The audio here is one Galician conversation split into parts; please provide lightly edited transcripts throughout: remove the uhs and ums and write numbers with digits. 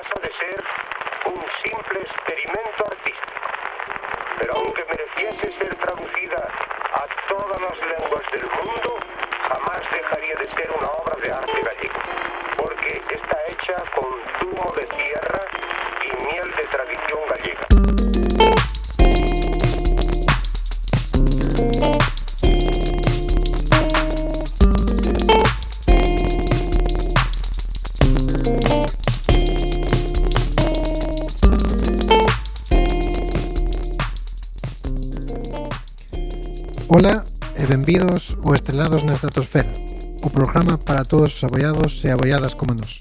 pasa de ser un simple experimento artístico. Pero aunque mereciese ser traducida a todas las lenguas del mundo, jamás dejaría de ser una obra de arte gallego, porque está hecha con zumo de tierra y miel de tradición gallega. Ola e benvidos ao Estrelados na Estratosfera, o programa para todos os aboiados e aboiadas como nós.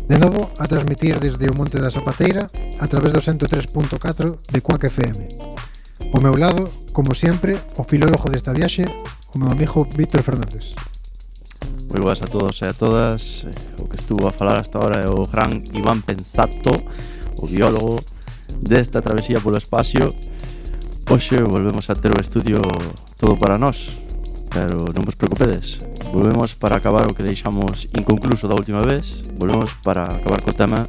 De novo, a transmitir desde o Monte da Zapateira a través do 103.4 de Quack FM. Ao meu lado, como sempre, o filólogo desta viaxe, o meu amigo Víctor Fernández. Moi boas a todos e a todas. O que estuvo a falar hasta ahora é o gran Iván Pensato, o biólogo desta travesía polo espacio. Hoxe volvemos a ter o estudio todo para nós, pero non vos preocupedes, volvemos para acabar o que deixamos inconcluso da última vez. Volvemos para acabar co tema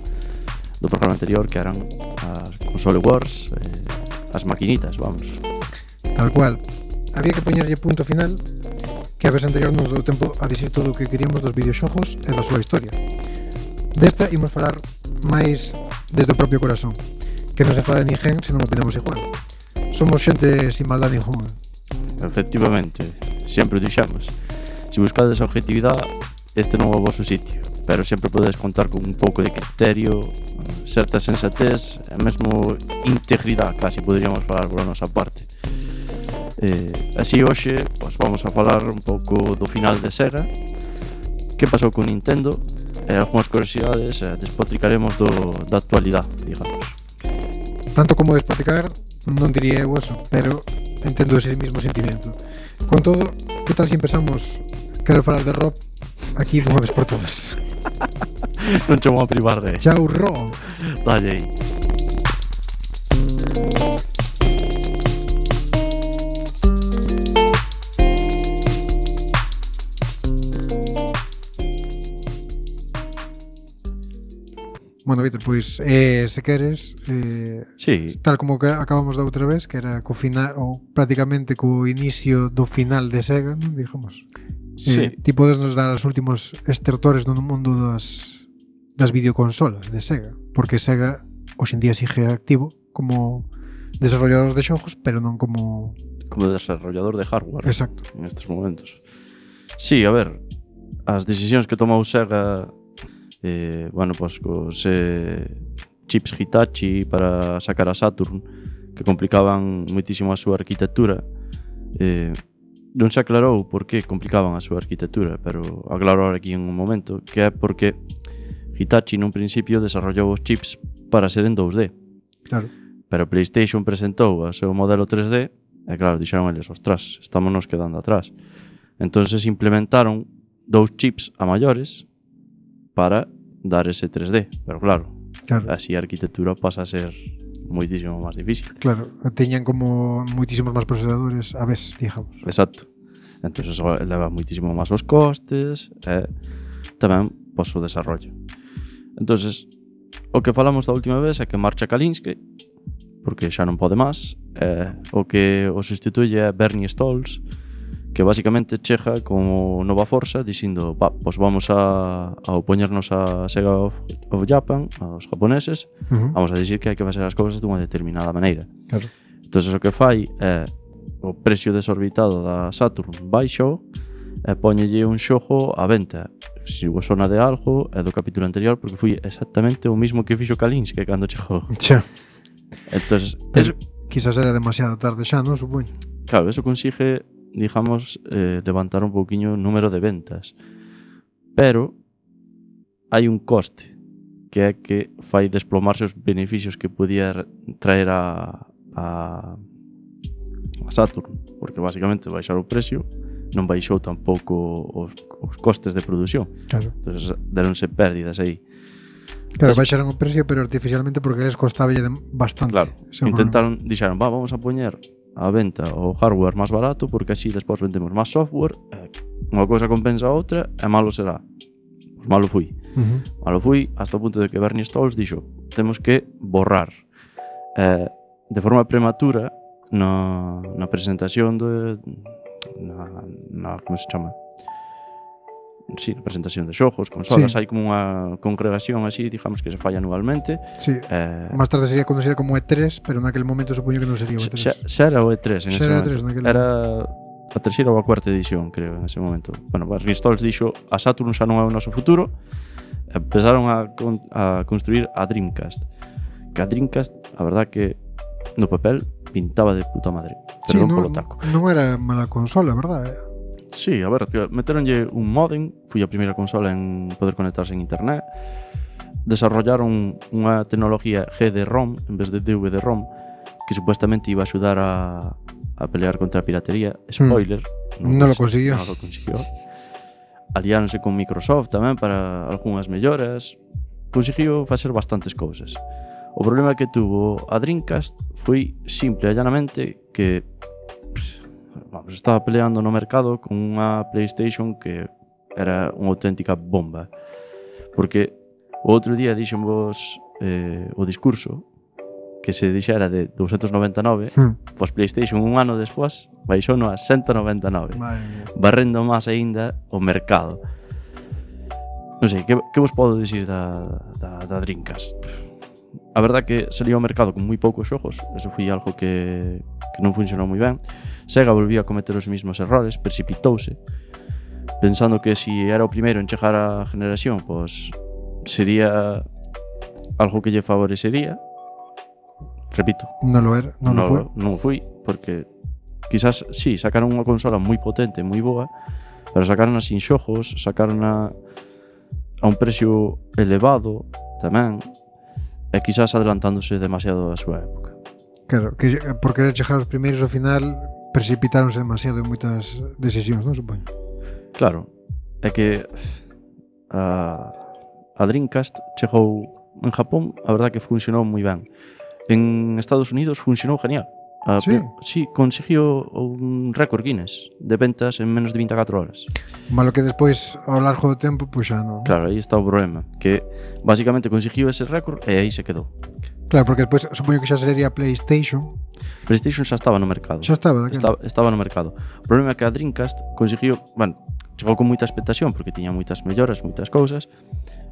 do programa anterior, que eran as console wars, as maquinitas, vamos. Tal cual, había que poñerlle punto final, que a vez anterior nos dou tempo a dicir todo o que queríamos dos videoxogos e da súa historia. Desta imos falar máis desde o propio corazón, que non se fala de ninguén se non opinamos igual. Somos xente sin maldad ninguna. Efectivamente, sempre o dixemos. Se buscades a objetividade, este non é o vosso sitio, pero sempre podedes contar con un pouco de criterio, certa sensatez e mesmo integridade, casi poderíamos falar pola nosa parte. Así hoxe pues, vamos a falar un pouco do final de Sega, que pasou con Nintendo e algunhas curiosidades, despotricaremos da actualidade, digamos. Tanto como despotricar non diría eu eso, pero entendo ese mismo sentimiento. Con todo, que tal se empezamos? Quero falar de Rob aquí dunha vez por todas. Non che vou a privar de... Chao, Rob! Dalle aí. Bueno, Víctor, pois, se queres, sí. Tal como que acabamos da outra vez, que era co final, ou prácticamente co inicio do final de Sega, non digamos. Sí. Ti podes nos dar os últimos estertores no mundo das videoconsolas de Sega, porque Sega hoxe en día sigue activo como desarrollador de xogos, pero non como desarrollador de hardware. Exacto. En estes momentos. Sí, a ver, as decisións que tomou Sega, bueno, pues cos chips Hitachi para sacar a Saturn, que complicaban moitísimo a súa arquitectura. Non se aclarou por que complicaban a súa arquitectura, pero aclaro aquí en un momento, que é porque Hitachi nun principio desarrollou os chips para ser en 2D. Claro. Pero PlayStation presentou o seu modelo 3D e claro, dixeron eles, ostras, estámonos quedando atrás. Entonces implementaron 2 chips a maiores para dar ese 3D, pero claro, así a arquitectura pasa a ser moitísimo máis difícil. Claro, teñan como moitísimos máis procesadores a vez, digamos. Exacto. Entón eso eleva moitísimo máis os costes e tamén pois, o desarrollo. Entonces, o que falamos da última vez é que marcha Kalinske, porque xa non pode máis, o que o sustituye é Bernie Stolz, que basicamente chega como nova forza dicindo, pues vamos a opoñernos a Sega of Japan, aos japoneses, vamos a dicir que hai que facer as cousas dunha determinada maneira. Claro. Entón o que fai é o precio desorbitado da Saturn baixo e poñelle un xogo a venta. Se vos sona de algo é do capítulo anterior, porque foi exactamente o mismo que fixo Kalinske cando chegou. Xa. Entonces, quizás era demasiado tarde xa, non, supoño. Claro, eso consigue, digamos, levantar un pouquiño o número de ventas. Pero hai un coste, que é que fai desplomarse os beneficios que podía traer a Saturn, porque basicamente baixar o precio non baixou tampouco os costes de produción. Claro. Entonces deronse pérdidas aí. Claro, baixaron o precio, pero artificialmente porque les costaba bastante. Claro, intentaron, dixeron, vamos a poñer a venta o hardware máis barato porque así despois vendemos máis software, unha cousa compensa a outra e malo será. Pois malo fui. Malo fui hasta o punto de que Bernie Stolz dixo temos que borrar de forma prematura na presentación na como se chama? Sí, na presentación de xogos, consolas, hai como unha congregación así, digamos que se falla anualmente. Sí, máis tarde sería conocida como E3, pero naquele momento supoño que non sería o E3. Xa era o E3 en ese momento. Era a terceira ou a cuarta edición, creo, en ese momento. Bueno, Bernie Stolz dixo a Saturn xa non é o noso futuro. Empezaron a construir a Dreamcast. Que a Dreamcast, a verdad que no papel pintaba de puta madre. Pero non polo taco. Non era mala consola, verdad? Sí, a ver, meteronlle un modem, foi a primeira consola en poder conectarse en internet. Desarrollaron unha tecnología GD-ROM en vez de DVD-ROM que supuestamente iba a axudar a pelear contra a piratería. Spoiler, non lo consiguió. Non lo consiguió. Aliáronse con Microsoft tamén para algunhas melloras. Conseguiu facer bastantes cousas. O problema que tuvo a Dreamcast foi simple e llanamente que estaba peleando no mercado con unha PlayStation que era unha auténtica bomba. Porque o outro día dixenvos o discurso que se dixera de 299, pois PlayStation un ano despois baixou no a 199, barrendo máis aínda o mercado. Non sei, que vos podo dicir da Dreamcast? A verdad que salió ao mercado con moi poucos xogos, eso foi algo que non funcionou moi ben. Sega volvía a cometer os mismos errores, precipitouse, pensando que si era o primeiro en chegar á generación, pois sería algo que lle favorecería. Repito, non lo era, non foi, porque quizás sí, sacaron unha consola moi potente, moi boa, pero sacaron sin xogos, sacaron a un precio elevado tamén, e quizás adelantándose demasiado a súa época. Claro, que por querer chegar aos primeiros ao final precipitáronse demasiado en moitas decisións, non supoño? Claro, é que a Dreamcast chegou en Japón, a verdad que funcionou moi ben. En Estados Unidos funcionou genial. Sí, conseguiu un récord Guinness de ventas en menos de 24 horas. Malo que despois, ao largo do tempo, pois xa non. Claro, aí está o problema, que basicamente conseguiu ese récord e aí se quedou. Claro, porque despois supoño que xa sería PlayStation. PlayStation xa estaba no mercado. Xa estaba, daquela. Estaba no mercado. O problema é que a Dreamcast conseguiu, bueno, chegou con moita expectación porque tiña moitas melloras, moitas cousas,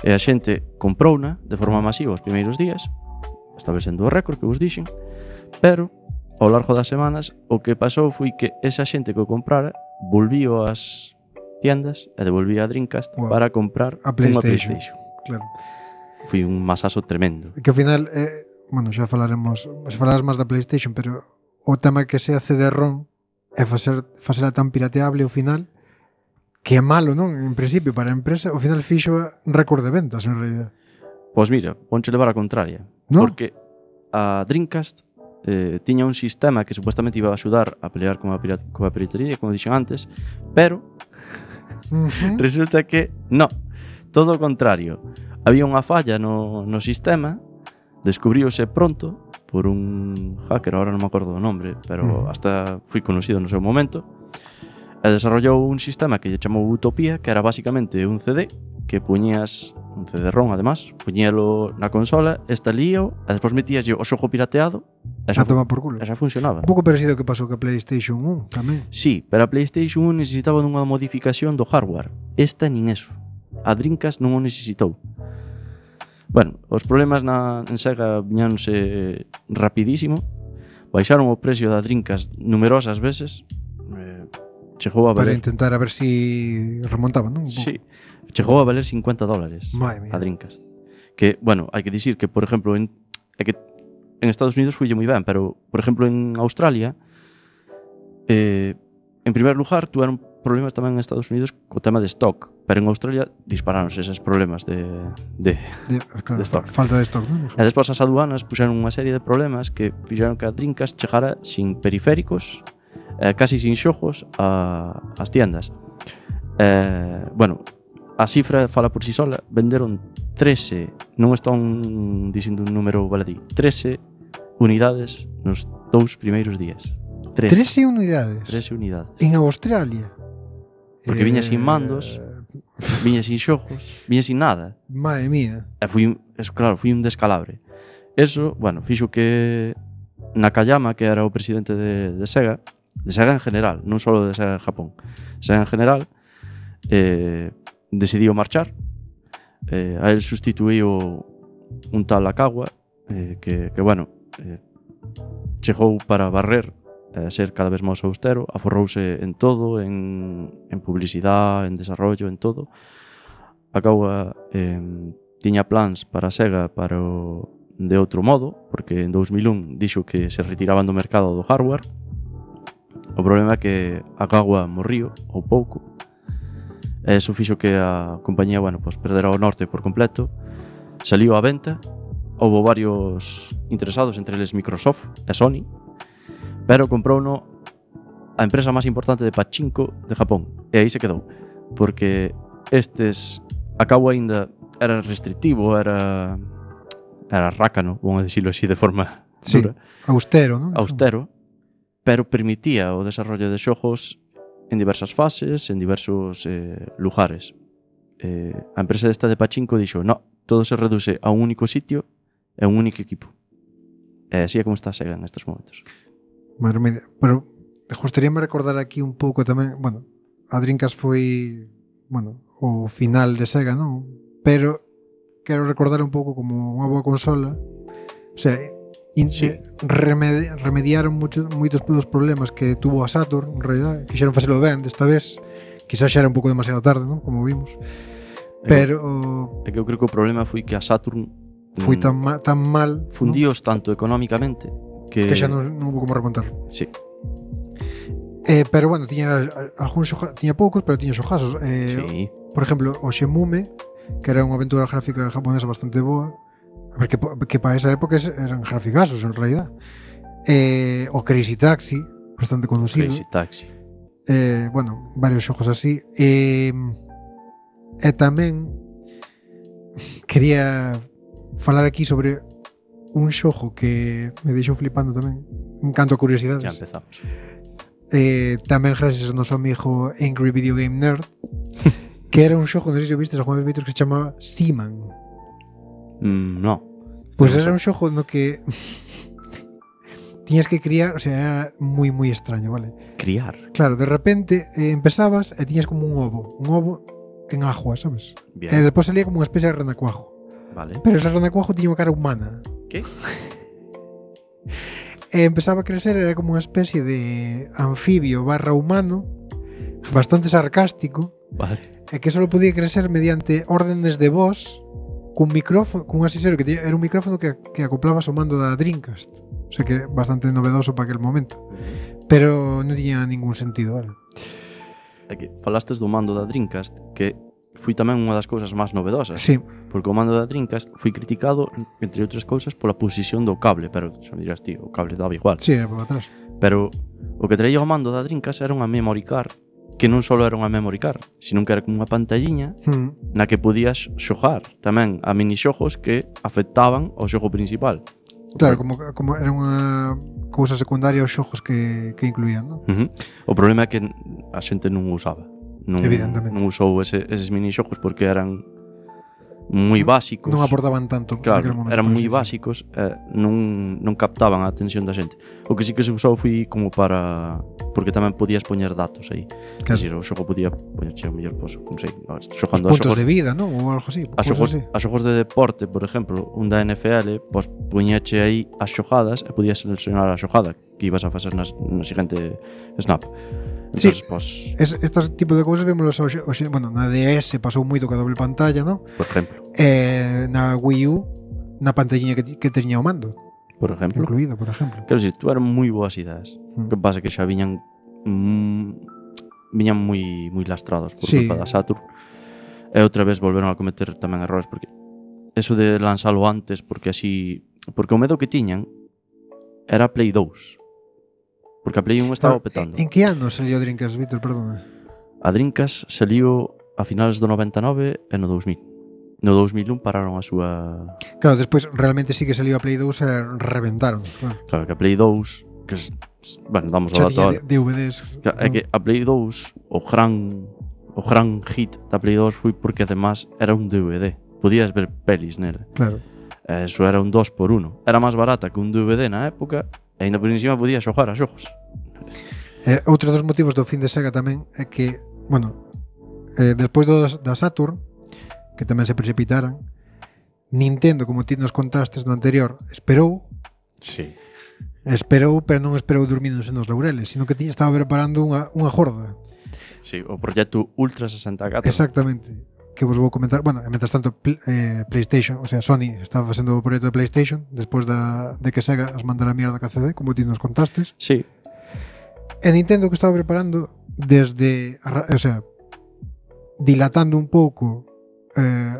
e a xente comprouna de forma masiva os primeiros días, establecendo o récord que vos dixen, pero ao largo das semanas o que pasou foi que esa xente que o comprara volvío ás tiendas e devolvía a Dreamcast para comprar unha PlayStation. Claro. Foi un masazo tremendo. Que ao final, bueno, xa falaremos máis da PlayStation, pero o tema que sea CD-ROM é facela tan pirateable ao final que é malo, non? En principio, para a empresa, ao final fixo récord de ventas, en realidad. Pois mira, ponche levar a contraria. ¿No? Porque a Dreamcast tiña un sistema que supuestamente iba a axudar a pelear con a piratería, como dixen antes, pero resulta que no, todo o contrario. Había unha falla no sistema, descubriuse pronto por un hacker, ahora non me acordo do nombre, pero hasta foi conocido no seu momento, e desarrollou un sistema que lle chamou Utopía, que era basicamente un CD que puñías un CD-ROM, además, puñíalo na consola, estalío, e despois metíaslle o xogo pirateado, e xa toma por culo. E xa funcionaba. Un pouco parecido ao que pasou ca PlayStation 1 tamén. Sí, pero a PlayStation 1 necesitaba dunha modificación do hardware. Esta nin eso. A Dreamcast non o necesitou. Bueno, os problemas en Sega viñáronse rapidísimo. Baixaron o precio da Dreamcast numerosas veces. Chegou a valer... Para intentar a ver si remontaban, non? Sí. Chegou a valer $50 a Dreamcast. Que, bueno, hai que dicir que, por exemplo, en Estados Unidos fuille moi ben, pero, por exemplo, en Australia, en primer lugar, tuveron problemas tamén en Estados Unidos co tema de stock, pero en Australia disparáronse eses problemas de stock. Falta de stock, non? E despois as aduanas puxeron unha serie de problemas que fixeron que a Dreamcast chegara sin periféricos, casi sin xogos ás tiendas. Bueno, a cifra fala por si sola, venderon 13, non están dicindo un número baladí, 13 unidades nos 2 primeiros días. 13 unidades? 13 unidades. En Australia? Porque viña sin mandos. viña sin xogos, viña sin nada. Madre mía. E foi un descalabre. Eso, bueno, fixo que Nakayama, que era o presidente de Sega en general, non só de Sega en Japón, Sega en general, decidiu marchar. A él sustituíu un tal Akawa, que bueno, chegou para barrer, ser cada vez máis austero, aforrouse en todo, en publicidade, en desarrollo, en todo. Akawa tiña plans para Sega de outro modo, porque en 2001 dixo que se retiraban do mercado do hardware. O problema é que Akawa morriu ou pouco, e iso fixo que a compañía, bueno, pues perdera o norte por completo. Saliu á venta, houve varios interesados, entre eles Microsoft e Sony, pero comprouno a empresa máis importante de pachinko de Japón, e aí se quedou, porque Akawa aínda era restrictivo, era rácano, vamos a decirlo así de forma dura. Austero, ¿no? Austero, pero permitía o desarrollo de xogos en diversas fases, en diversos lugares. A empresa esta de pachinko dixo, no, todo se reduce a un único sitio e a un único equipo. E así é como está Sega en estes momentos. Madre mía, pero gustaríame recordar aquí un pouco tamén, bueno, a Dreamcast foi, bueno, o final de Sega, non? Pero quero recordar un pouco como unha boa consola. O sea, remediaron moitos dos problemas que tuvo a Saturn, en realidad, quixeron facelo ben desta vez. Quizás xa era un pouco demasiado tarde, non? Como vimos. Pero é que eu creo que o problema foi que a Saturn foi tan mal, fundíos tanto económicamente que xa non houve como remontar. Sí. Pero bueno, tiña poucos, pero tiña xogazos. Sí. Por exemplo, o Shenmue, que era unha aventura gráfica japonesa bastante boa, que para esa época eran graficazos en realidad. O Crazy Taxi, bastante conocido. Crazy Taxi. Bueno, varios xogos así. E tamén quería falar aquí sobre un xogo que me deixou flipando tamén, en canto a curiosidades. Ya empezamos. Tamén gracias ao noso amigo Angry Video Game Nerd, que era un xogo, non sei se o vistes algunha vez, que se chamaba Seaman. No. Pois era un xogo no que tiñas que criar, o sea, era moi extraño, vale? Criar. Claro, de repente empezabas e tiñas como un ovo en agua, sabes? Bien. E despois salía como unha especie de renacuajo. Vale. Pero ese renacuajo tiña unha cara humana. ¿Qué? E empezaba a crecer, era como unha especie de anfibio / humano, bastante sarcástico. Vale. E que só podía crecer mediante órdenes de voz cun micrófono, cun asesor que era un micrófono que acoplabas ao mando da Dreamcast. O sea que bastante novedoso para aquel momento. Pero non tiña ningún sentido, vale? É que falastes do mando da Dreamcast, que foi tamén unha das cousas máis novedosas. Sí. Porque o mando da Dreamcast foi criticado, entre outras cousas, pola posición do cable, pero xa me dirás, tío, o cable daba igual. Sí, era por atrás. Pero o que traía o mando da Dreamcast era unha memory card, que non só era unha memory card, sino que era como unha pantalliña na que podías xogar tamén a minixogos que afectaban ao xogo principal. Claro, como era unha cousa secundaria aos xogos que incluían, non? O problema é que a xente non o usaba. Evidentemente. Non usou eses minixogos porque eran moi básicos. Non aportaban tanto. Claro, eran moi básicos, non captaban a atención da xente. O que sí que se usou foi como para... Porque tamén podías poñer datos aí. Claro. Decir, o xogo podía poñerche o mellor, pues, non sei, xogando os puntos de vida, non? Ou algo así. A xogos de deporte, por exemplo, un da NFL, pues, poñeche aí as xogadas e podías seleccionar a xogada que ibas a facer no seguinte snap. Entonces, sí, pues, estes tipo de cousas vémolos bueno, na DS pasou moito que a doble pantalla, non? Por exemplo. Na Wii U, na pantalliña que teña o mando. Por exemplo. Incluído, por exemplo. Quero dicir, tú eran moi boas ideas. O que pasa que xa viñan moi lastrados por culpa da Saturn. E outra vez volveron a cometer tamén errores, porque eso de lanzalo antes, porque o medo que tiñan era a Play 2. Porque a Play 1 estaba petando. En que ano salió Dreamcast, Víctor? Perdona. A Dreamcast saliu a finales do 99 e no 2000. No 2001 pararon a súa... Claro, despois realmente sí que saliu a Play 2 e reventaron. Claro que a Play 2, que bueno, damos o dato ahora. DVDs. É que a Play 2, o o gran hit da Play 2 foi porque además era un DVD. Podías ver pelis nela. Claro. Eso era un 2x1. Era máis barata que un DVD na época e ainda por encima podías xogar a xogos. Outro dos motivos do fin de Sega tamén é que, bueno, despois da Saturn, que tamén se precipitaran, Nintendo, como ti nos contastes no anterior, esperou, pero non esperou dormíndose nos laureles, sino que estaba preparando unha jorda. Sí, o proxecto Ultra 64. Exactamente. Que vos vou comentar. Bueno, mentras tanto, PlayStation, o sea, Sony estaba facendo o proxecto de PlayStation despois de que Sega as mandara a mierda ca CD, como ti nos contastes. Sí. E Nintendo que estaba preparando desde, o sea, dilatando un pouco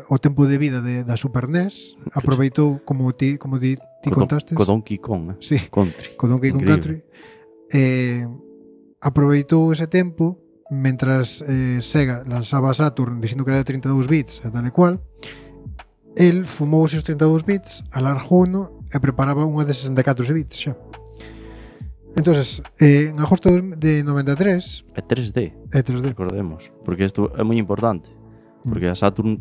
o tempo de vida da Super NES, aproveitou, como ti contastes, Co Donkey Kong, sí, Country. co Donkey Kong Country, aproveitou ese tempo mentras Sega lanzaba a Saturn dicindo que era de 32 bits e tal e cual. El fumou os 32 bits, alargouno e preparaba unha de 64 bits xa. Entonces, en agosto de 93 É 3D, é 3D. recordemos, porque isto é moi importante. Porque a Saturn...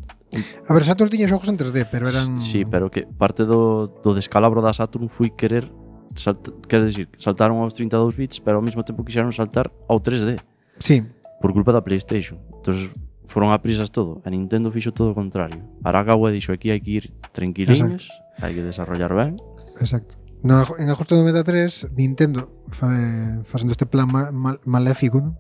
A ver, Saturn tiña xogos en 3D, pero eran... Sí, pero que parte do descalabro da Saturn foi querer saltaron aos 32 bits, pero ao mesmo tempo quixeron saltar ao 3D. Sí. Por culpa da PlayStation. Entonces foron a prisas todo. A Nintendo fixo todo o contrario. Arakawa dixo aquí hai que ir tranquiliños, hai que desarrollar ben. Exacto. En agosto de 93, Nintendo facendo este plan maléfico, ¿no?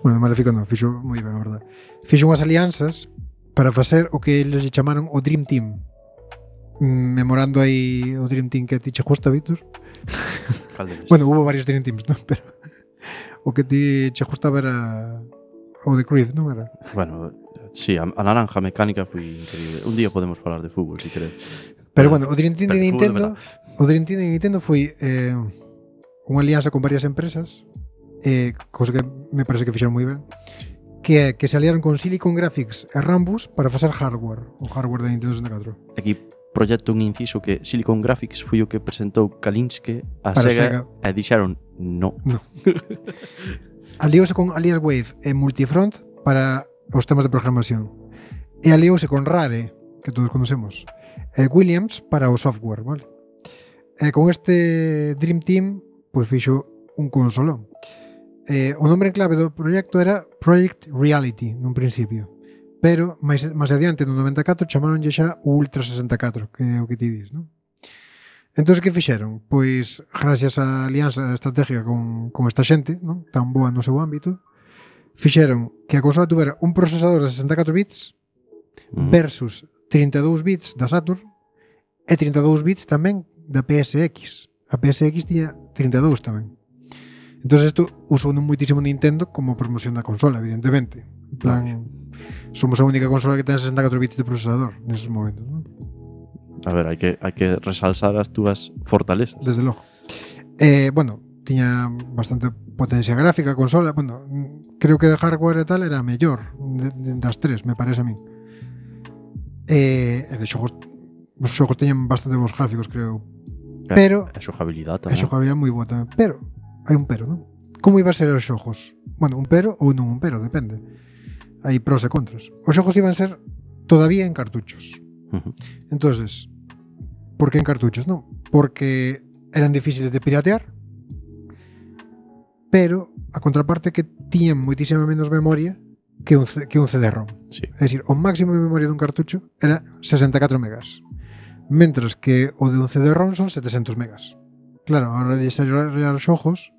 Bueno, maléfico non, fixo moi ben, a verdade. Fixo unhas alianzas para facer o que eles chamaron o Dream Team. Memorando aí o Dream Team que a ti che gusta, Víctor. Bueno, hubo varios Dream Teams, ¿no? Pero o que ti che gustaba era o de Creed, non era? Bueno, sí, a naranja mecánica foi increíble. Un día podemos falar de fútbol, si queres. Pero bueno, o Dream Team de Nintendo foi unha alianza con varias empresas, cousa que me parece que fixeron moi ben, que se aliaron con Silicon Graphics e Rambus para facer hardware, o hardware da Nintendo 64. Aquí proxecto un inciso que Silicon Graphics foi o que presentou Kalinske a Sega e dixeron no. Aliouse con Aliaswave e Multifront para os temas de programación. E aliouse con Rare, que todos conocemos, e Williams para o software, vale? E con este Dream Team, pois fixo un consolón. O nombre en clave do proxecto era Project Reality nun principio, pero máis adiante no 94 chamaronlle xa o Ultra 64, que é o que ti dis, non? Entón, que fixeron? Pois, gracias á alianza estratégica con esta xente, non? Tan boa no seu ámbito, fixeron que a consola tuvera un procesador de 64 bits versus 32 bits da Saturn e 32 bits tamén da PSX. A PSX tiña 32 tamén. Entón, isto usou moitísimo Nintendo como promoción da consola, evidentemente. En plan, somos a única consola que ten 64 bits de procesador neses momentos, non? A ver, hai que resalzar as túas fortalezas. Desde logo. Bueno, tiña bastante potencia gráfica a consola. Bueno, creo que de hardware e tal era a mellor das tres, me parece a mí. E de xogos, os xogos teñen bastante bons gráficos, creo. Pero a xogabilidade tamén. A xogabilidade moi boa tamén. Pero hai un pero, non? Como iba a ser os xogos? Bueno, un pero ou non un pero, depende. Hai pros e contras. Os xogos iban ser todavía en cartuchos. Entonces, por que en cartuchos? Non, porque eran difíciles de piratear, pero a contraparte que tiñan moitísima menos memoria que un CD-ROM. Sí. É dicir, o máximo de memoria dun cartucho era 64 megas, mentras que o de un CD-ROM son 700 megas. Claro, a hora de desarrollar xogos,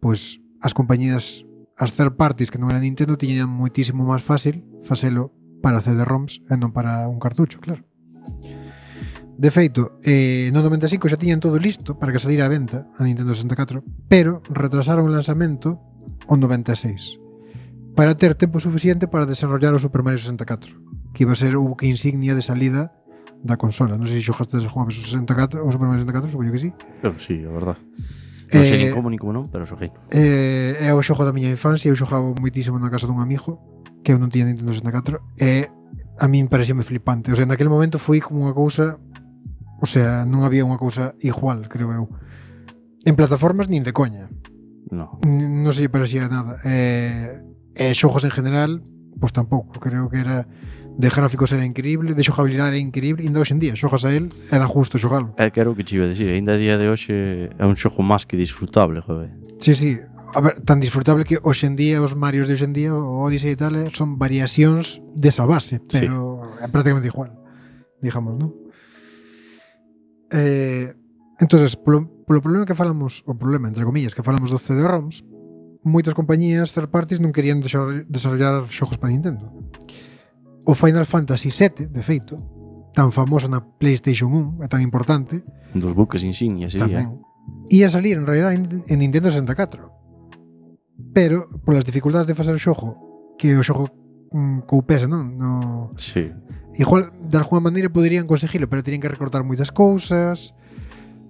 pois as compañías, as third parties que non eran Nintendo, tiñan moitísimo máis fácil facelo para CD-ROMs e non para un cartucho, claro. De feito, no 95 xa tiñan todo listo para que salira a venta a Nintendo 64, pero retrasaron o lanzamento ao 96 para ter tempo suficiente para desarrollar o Super Mario 64, que iba a ser o buque insignia de salida da consola. Non sei se xogaste ese juego o 64 ou Super Mario 64, supoño que sí. Eu sí, a verdad. Non sei nin como non, pero xoguei. É o xogo da miña infancia, eu xogaba moitísimo na casa dun amigo que eu non tiña Nintendo 64 e a min parecíame flipante. O sea, naquele momento foi como unha cousa, o sea, non había unha cousa igual, creo eu. En plataformas nin de coña. No. Non se lle parecía nada. E xogos en general, pois tampouco. Creo que era de gráficos era increíble, de xogabilidade era increíble, e ainda hoxe en día xogas a él e dá justo xogalo. É que era o que te iba a decir, ainda a día de hoxe é un xogo máis que disfrutable, joder. Sí, sí. A ver, tan disfrutable que hoxe en día os Marios de hoxe en día, o Odyssey e tal, son variacións desa base, pero é prácticamente igual, digamos, non? Entonces, polo problema que falamos, o problema, entre comillas, que falamos do CD-ROMs, moitas compañías third parties non querían desarrollar xogos para Nintendo. O Final Fantasy VII, de feito, tan famoso na PlayStation 1, é tan importante, Un dos buques insignias, sí, tamén, ia salir en realidad en Nintendo 64. Pero, polas dificultades de facer o xogo, que o xogo coupese, non? No... Sí. Igual, de alguna maneira poderían conseguilo, pero terían que recortar moitas cousas,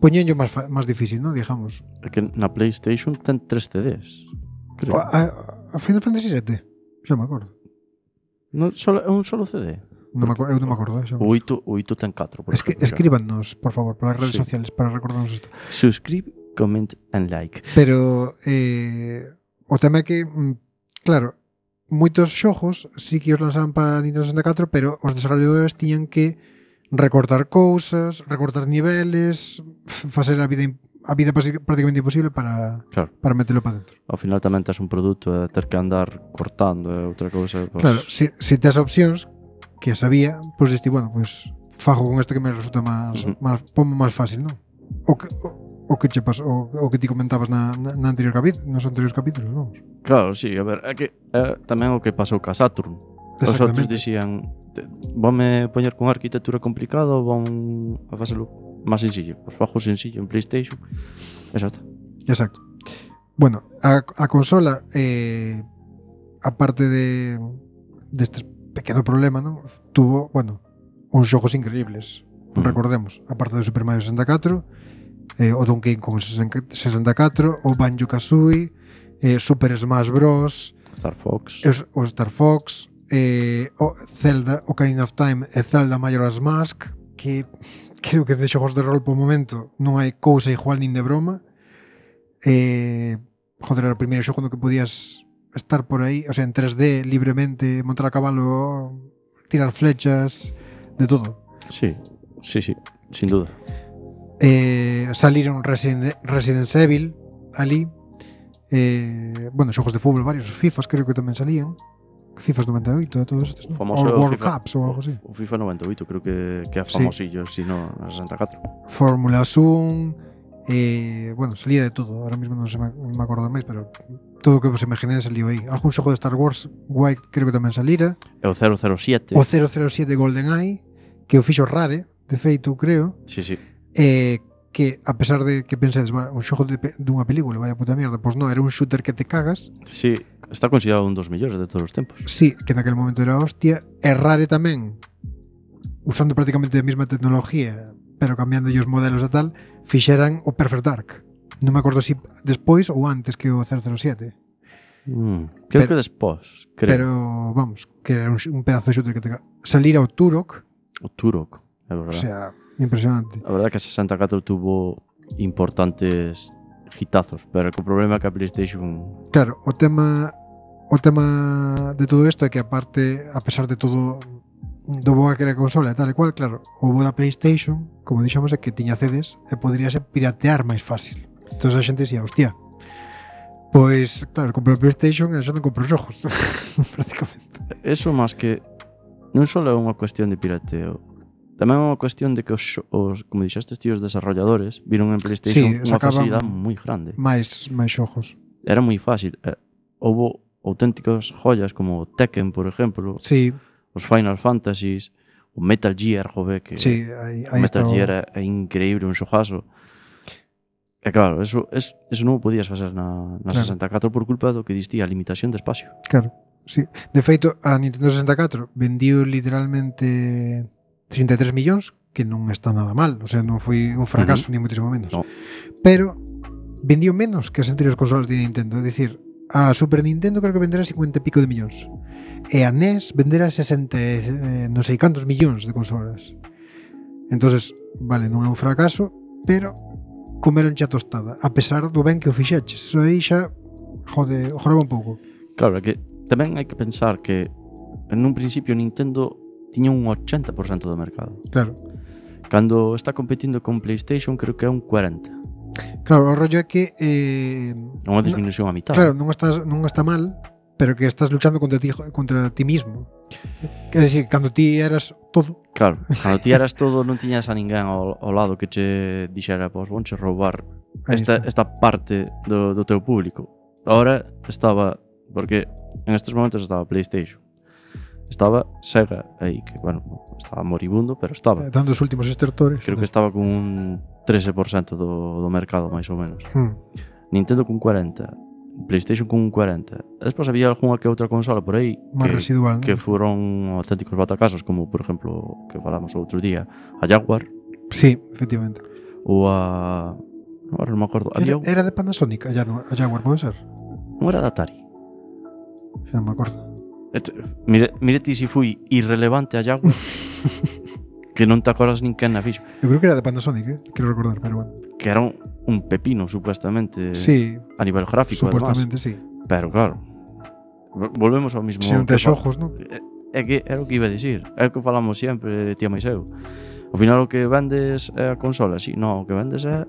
poñenllo máis difícil, non? Digamos. É que na PlayStation ten 3 CDs. Creo. A Final Fantasy VII, xa me acordo. Non solo, é un solo CD. Eu non me acordo. Xa. O 8 ten 4. Por ejemplo, Escríbanos, por favor, polas redes Sí. sociales para recordarnos isto. Subscribe, comment and like. Pero o tema é que, claro, moitos xogos sí que os lanzaban para Nintendo 64, pero os desarrolladores tiñan que recortar cousas, recortar niveles, facer a vida prácticamente imposible para metelo para dentro. Ao final tamén tes un produto e ter que andar cortando e outra cousa. Pues... Claro, se tes opcións que sabía, pois diste, bueno, pois fago con este que me resulta máis pomo máis fácil, non? O que che pasou, o que ti comentabas na anterior nos anteriores capítulos, vamos. Claro, sí, a ver, é que tamén o que pasou ca Saturn. Os outros dixían, vame poñer con arquitectura complicada ou van a facelo máis sencillo. Pois fajo sencillo en PlayStation e xa está. Exacto. Bueno, a consola, aparte deste pequeno problema, non? Tuvo, bueno, uns xogos increíbles. Recordemos, aparte do Super Mario 64, o Donkey Kong 64, o Banjo-Kazooie, Super Smash Bros, Star Fox, o Star Fox, o Zelda, Ocarina of Time e Zelda Majora's Mask, que creo que de xogos de rol por momento non hai cousa igual nin de broma. Joder, era o primeiro xogo no que podías estar por aí, o sea, en 3D, libremente, montar a cabalo, tirar flechas, de todo. Sí, sin duda. Saliron Resident Evil ali, bueno, xogos de fútbol varios, FIFAs creo que tamén salían, FIFAs 98 e todos estes, ¿no? Famoso o World FIFA, Cups ou algo así. O FIFA 98 creo que é famosillo, si no, na 64. Fórmula 1, bueno, salía de todo, ahora mismo non me acordo máis, pero todo o que vos imaginéis saliu aí. Algún xogo de Star Wars White creo que tamén salira. E o 007. O 007 GoldenEye, que o fixo Rare, de feito, creo. Sí. Que a pesar de que pensedes, bueno, un xogo dunha película, vaya puta mierda, pois non, era un shooter que te cagas. Sí, está considerado un dos mellores de todos os tempos. Sí, que naquele momento era hostia. E Rare tamén, usando prácticamente a mesma tecnología, pero cambiando os modelos e tal, fixeran o Perfect Dark. Non me acordo se despois ou antes que o 007. Creo que despois, creo. Pero, vamos, que era un pedazo de shooter que te cagas. Salira o Turok. O Turok, é verdade. O sea, impresionante. A verdade é que a 64 tuvo importantes hitazos, pero o problema é que a PlayStation... Claro, o tema de todo isto é que aparte, a pesar de todo do boa que era a consola e tal e cual, claro, o bo da PlayStation, como dixamos, é que tiña CDs e poderíase piratear máis fácil. Entón a xente dixía, hostia, pois, claro, compro a PlayStation e xa non compro os xogos, prácticamente. Eso máis que non só é unha cuestión de pirateo, tamén é unha cuestión de que os como dixestes tíos desarrolladores viron en PlayStation unha facilidade moi grande. máis xogos. Era moi fácil. Houbo auténticas joyas como Tekken, por exemplo. Sí. Os Final Fantasies, o Metal Gear, joder, que sí, aí Metal Gear é increíble, un xogazo. E claro, eso non o podías facer na 64 por culpa do que distía a limitación de espacio. Claro, sí. De feito, a Nintendo 64 vendiu literalmente 33 millóns, que non está nada mal, o sea, non foi un fracaso ni muitísimo menos. No. Pero vendiu menos que as anteriores consolas de Nintendo, é dicir, a Super Nintendo creo que venderá 50 e pico de millóns. E a NES venderá 60 non sei cantos millóns de consolas. Entonces, vale, non é un fracaso, pero comeron xa tostada, a pesar do ben que o fixeches. Eso aí xa joraba un pouco. Claro, é que tamén hai que pensar que en un principio Nintendo tiña un 80% do mercado. Claro. Cando está competindo con PlayStation creo que é un 40%. Claro, o rollo é que Unha disminución a mitad. claro, non está mal, pero que estás luchando contra ti mismo. Quer decir, cando ti eras todo. Claro, cando ti eras todo non tiñas a ninguén ao lado que che dixera, pois vonche roubar esta parte do teu público. Ahora estaba, porque en estes momentos estaba PlayStation, estaba Sega aí, que bueno, estaba moribundo, pero estaba. Dando os últimos estertores. Creo que estaba con un 13% do mercado, máis ou menos. Nintendo con 40%, PlayStation con un 40%. Despois había algunha que outra consola por aí máis residual, que foron auténticos batacasos, como por exemplo, que falamos outro día, a Jaguar. Sí, efectivamente. Ou a... Agora non me acordo. Era de Panasonic, a Jaguar, pode ser? Non era de Atari. Xa non me acordo. Mire ti se fui irrelevante a Jaguar que non te acordas nin quen na fixo. Eu creo que era de Panasonic, quero recordar, pero bueno. Que era un pepino, supuestamente, sí, a nivel gráfico, supuestamente, además. Sí. Pero claro, volvemos ao mismo. Se non tes ojos, non? É que era o que iba a dicir. É o que falamos sempre, tía máis eu. Ao final o que vendes é a consola, si, non, o que vendes é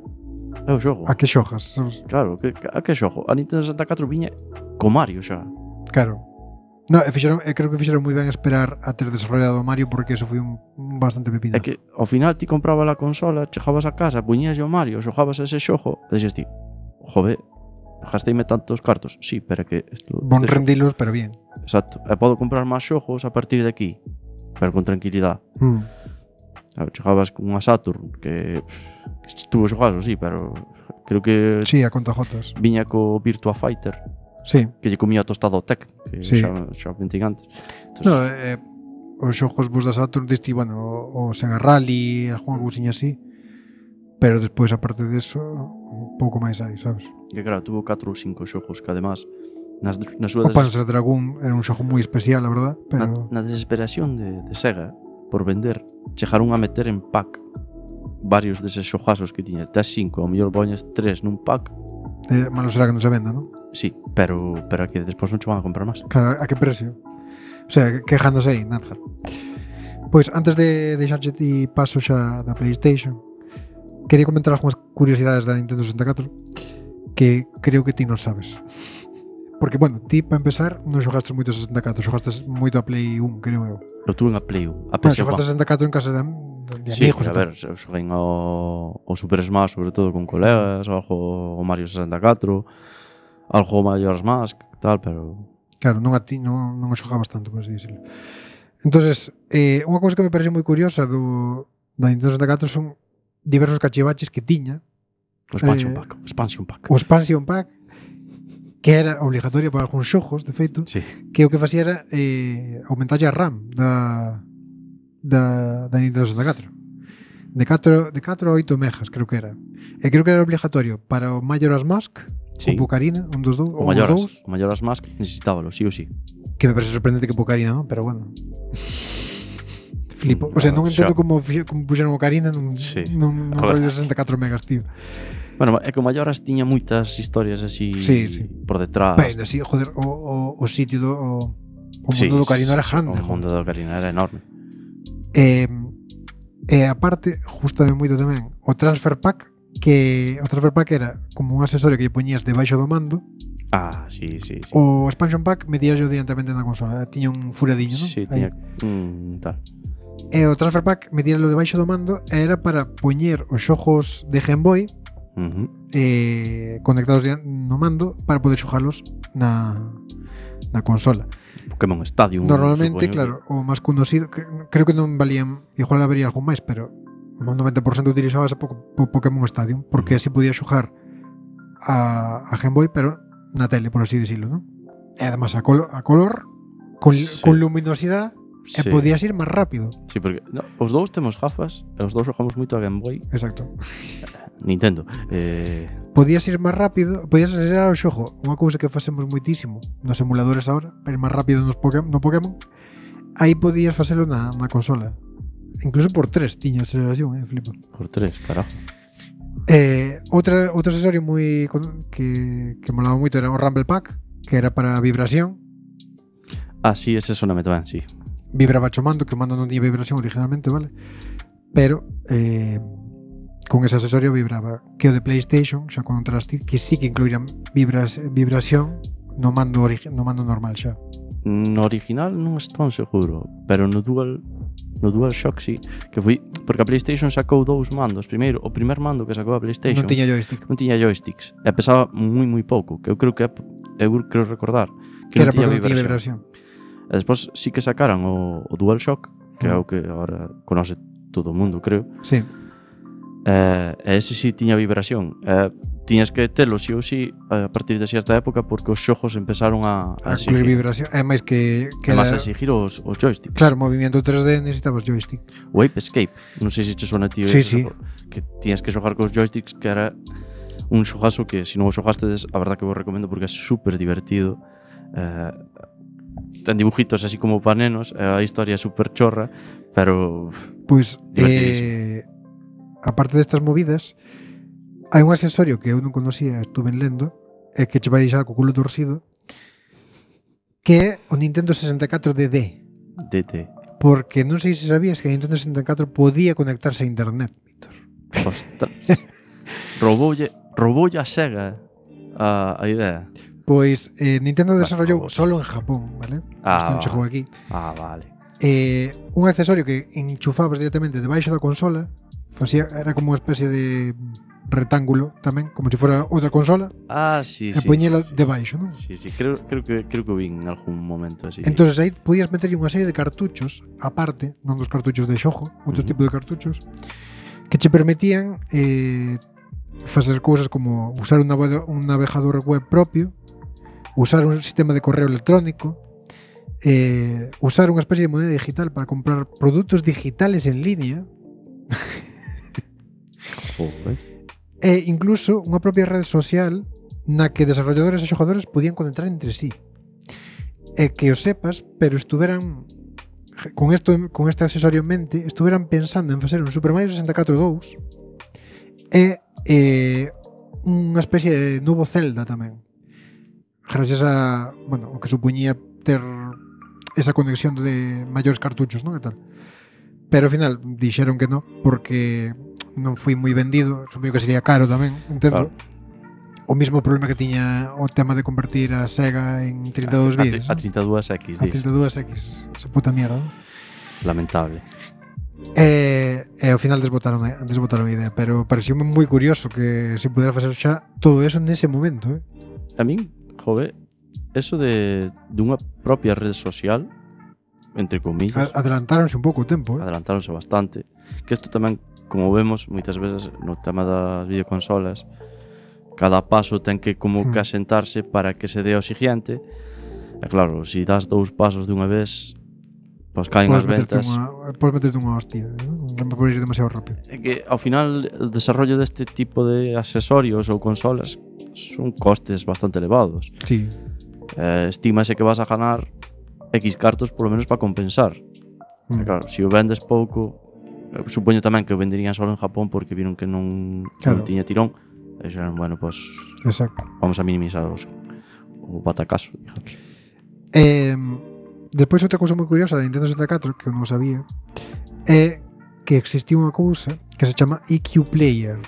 o xogo. A que xogas? Claro, a que xogo? A Nintendo 64 viña co Mario xa. Claro. No, creo que fixeron moi ben esperar a ter desarrollado o Mario, porque eso foi un bastante pepinazo. É que ao final ti comprabas a consola, chegabas a casa, puñías o Mario, xogabas ese xogo, e dixes ti, jove, gasteime tantos cartos. Sí, pero que bon rendilos, pero bien. Exacto. E podo comprar máis xogos a partir de aquí, pero con tranquilidade. Chegabas con unha Saturn que estuvo xogado, sí, pero creo que sí, a contajotas. Viña co Virtua Fighter. Sí. Que lle comía tostado o Tec, que sí. xa pentín antes. Entonces, no, os xogos vos da Saturn diste, bueno, o Sega Rally, algunha cousiña así, pero despois, aparte deso, un pouco máis hai, sabes? Que claro, tuvo 4 ou 5 xogos que además na súa o Panzer Dragoon era un xogo moi especial, a verdad, pero na desesperación de Sega por vender, chegaron a meter en pack varios deses xogazos que tiña, tes 5, ao mellor poñes 3 nun pack. Malo será que non se venda, non? Sí, pero que despois non che van a comprar máis. Claro, a que precio? O sea, quejándose aí, nada. Pois, antes de deixarche ti paso xa da PlayStation, quería comentar algunhas curiosidades da Nintendo 64 que creo que ti non sabes. Porque, bueno, ti, para empezar, non xogaste moito a 64, xogaste moito a Play 1, creo eu. Eu tuve unha Play 1, a PS1. Xogaste a 64 en casa de sí, amigos. A ver, eu xoguei o Super Smash, sobre todo con colegas, algo o Mario 64, algo o Majora's Mask, tal, pero... Claro, non o xogabas tanto, por así decirlo. Entonces, unha cousa que me parece moi curiosa da Nintendo 64 son diversos cachivaches que tiña. O Expansion Pack. O Expansion Pack, que era obligatorio para algúns xogos, de feito, sí. Que o que facía era aumentar a RAM da Nintendo 64. De 4 a 8 megas, creo que era. E creo que era obligatorio para o Majora's Mask, sí. O Pucarina, un dos dous. O Majora's Mask necesitábalo, sí ou sí. Que me parece sorprendente que Pucarina, non? Pero bueno. Flipo. O sea, non entendo como puxeron o Ocarina nun rollo de 64 megas, tío. Bueno, é que o Majora's tiña moitas historias así sí. por detrás. Ben, así, joder, o sitio o mundo do Ocarina era grande. O mundo do Ocarina era enorme. E aparte, justamente moito tamén, o Transfer Pack era como un accesorio que lle poñías debaixo do mando. Ah, sí. O Expansion Pack metías yo directamente na consola, tiña un furadiño, non? Sí, tiña tal. E o Transfer Pack metíalo debaixo do mando e era para poñer os xogos de Game Boy conectados no mando para poder xogalos na consola. Pokémon Stadium. Normalmente, claro, o máis conocido, creo que non valían, igual habería algún máis, pero o 90% utilizabas Pokémon Stadium, porque así podía xogar a Game Boy, pero na tele, por así decirlo, non? E además a color con luminosidade. E podías ir máis rápido. Sí, porque os dous temos gafas e os dous xogamos moito a Game Boy. Exacto. Nintendo. Podías ir máis rápido, podías acelerar o xogo. Unha cousa que facemos moitísimo nos emuladores ahora, para ir máis rápido no Pokémon. Aí podías facelo na consola. Incluso por 3 tiña aceleración, flipa. Por 3, carajo. Outro accesorio moi que molaba moito era o Rumble Pack, que era para vibración. Ah, sí, ese soname tamén, sí. Vibraba o mando, que o mando non tiña vibración originalmente, vale? Pero con ese accesorio vibraba. Que o de PlayStation, xa con Trusted, que sí que incluíran vibración no mando normal xa. No original non estou seguro, pero no DualShock sí, que foi porque a PlayStation sacou dous mandos. Primeiro, o primer mando que sacou a PlayStation Non tiña joystick. non tiña joysticks e pesaba moi pouco, que eu creo recordar Que non era porque tiña non tiña vibración. E despois sí que sacaran o DualShock, que é o que agora conoce todo o mundo, creo. Sí. E ese sí tiña vibración. Tiñas que telo sí ou sí a partir de certa época, porque os xogos empezaron a incluir vibración. É máis que era máis a exigir os joysticks. Claro, movimiento 3D necesitabas joystick. O Ape Escape, non sei se che suena a ti. Sí. Que tiñas que xogar cos joysticks, que era un xogazo que se non o xogastes, a verdad que vos recomendo porque é super divertido. Ten dibujitos así como para nenos, a historia é super chorra, pero pois divertidísimo. Aparte destas movidas, hai un accesorio que eu non conocía, estuve lendo, e que che vai deixar co culo torcido, que é o Nintendo 64 DD. DD. Porque non sei se sabías que a Nintendo 64 podía conectarse a internet, Víctor. Ostras. Rouboulle a Sega a idea. Pois Nintendo desarrollou solo en Japón, vale? Isto non chegou aquí. Vale. Un accesorio que enchufabas directamente debaixo da consola, era como unha especie de rectángulo tamén, como se fora outra consola. Sí. E poñelo debaixo, non? Sí, creo que vi en algún momento así. Entonces aí podías meter unha serie de cartuchos aparte, non dos cartuchos de xogo, outro tipo de cartuchos que che permitían facer cousas como usar un navegador web propio, usar un sistema de correo electrónico, usar unha especie de moneda digital para comprar produtos digitales en línea. E incluso unha propia rede social na que desarrolladores e xogadores podían conectar entre sí. E que o sepas, pero estuveran con este accesorio en mente, estuveran pensando en facer un Super Mario 64 2 e unha especie de novo Zelda tamén. Gracias a, o que supoñía ter esa conexión de maiores cartuchos, non? E tal. Pero ao final dixeron que non, porque non foi moi vendido, supoño que sería caro tamén, entendo. Claro. O mismo problema que tiña o tema de convertir a Sega en 32 bits. A 32X, a 32X, esa puta mierda, non? Lamentable. E ao final desbotaron a idea, pero pareceume moi curioso que se pudera facer xa todo eso nese momento, A min, eso de unha propia rede social, entre comillas, adelantáronse un pouco o tempo, Adelantáronse bastante. Que isto tamén, como vemos moitas veces no tema das videoconsolas, cada paso ten que como que asentarse para que se dé ao siguiente. E claro, se das dous pasos dunha vez, pois caen as ventas. Podes meterte unha hostia, non pode ir demasiado rápido. É que ao final o desarrollo deste tipo de accesorios ou consolas son costes bastante elevados. Sí. Estímase que vas a ganar X cartos polo menos para compensar. Claro, se o vendes pouco, supoño tamén que o venderían só en Japón porque viron que non tiña tirón. E dixeron, exacto, vamos a minimizar o batacazo, digamos. Despois outra cousa moi curiosa da Nintendo 64 que eu non sabía é que existía unha cousa que se chama EQ Player,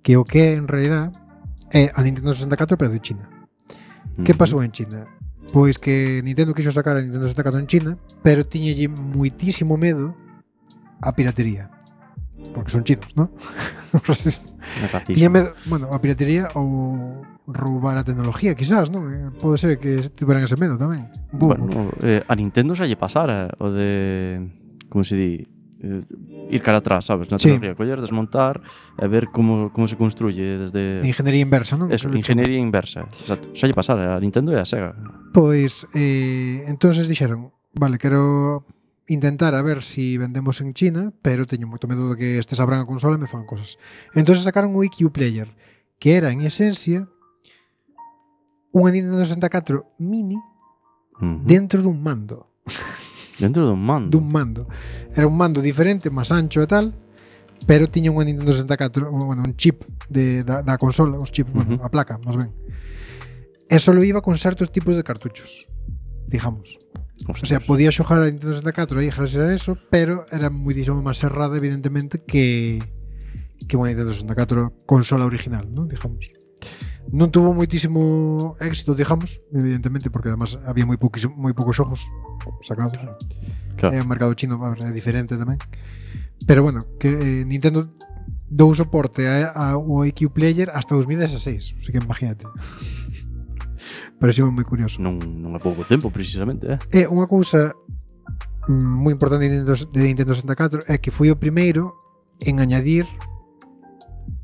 que o que en realidad é a Nintendo 64 pero de China. Que pasou en China? Pois que Nintendo quixo sacar a Nintendo 64 en China, pero tiñalle moitísimo medo a piratería. Porque son chinos, ¿no? Tiña medo, a piratería ou roubar a tecnología, quizás, non? Pode ser que tiveran ese medo tamén. A Nintendo xa lle pasara o de, como se di, ir cara atrás, sabes? Na tecnología, coller, desmontar e ver como se construye desde... Ingeniería inversa, non? Eso, ingeniería inversa, exacto. Xa lle pasara a Nintendo e a Sega. Pois, entonces dixeron, vale, quero intentar a ver si vendemos en China, pero teño moito medo de que estes abran a consola e me fan cosas. Entonces sacaron o EQ Player, que era, en esencia, unha Nintendo 64 mini dentro dun mando. Dentro dun mando? Dun mando. Era un mando diferente, máis ancho e tal, pero tiña unha Nintendo 64, un chip da consola, os chips, a placa, máis ben. E solo iba con certos tipos de cartuchos. digamos. Ostras. O sea, podía xogar a Nintendo 64 aí gracias a eso, pero era muitísimo máis cerrada, evidentemente, que unha Nintendo 64 consola original, ¿no? Digamos. Non tuvo moitísimo éxito, digamos, evidentemente, porque además había moi poucos xogos sacados. Claro. O mercado chino é diferente tamén. Pero bueno, que Nintendo dou soporte ao IQ Player hasta 2016, así que imagínate. Pareceu moi curioso. Non é pouco tempo, precisamente, É unha cousa moi importante de Nintendo 64 é que foi o primeiro en añadir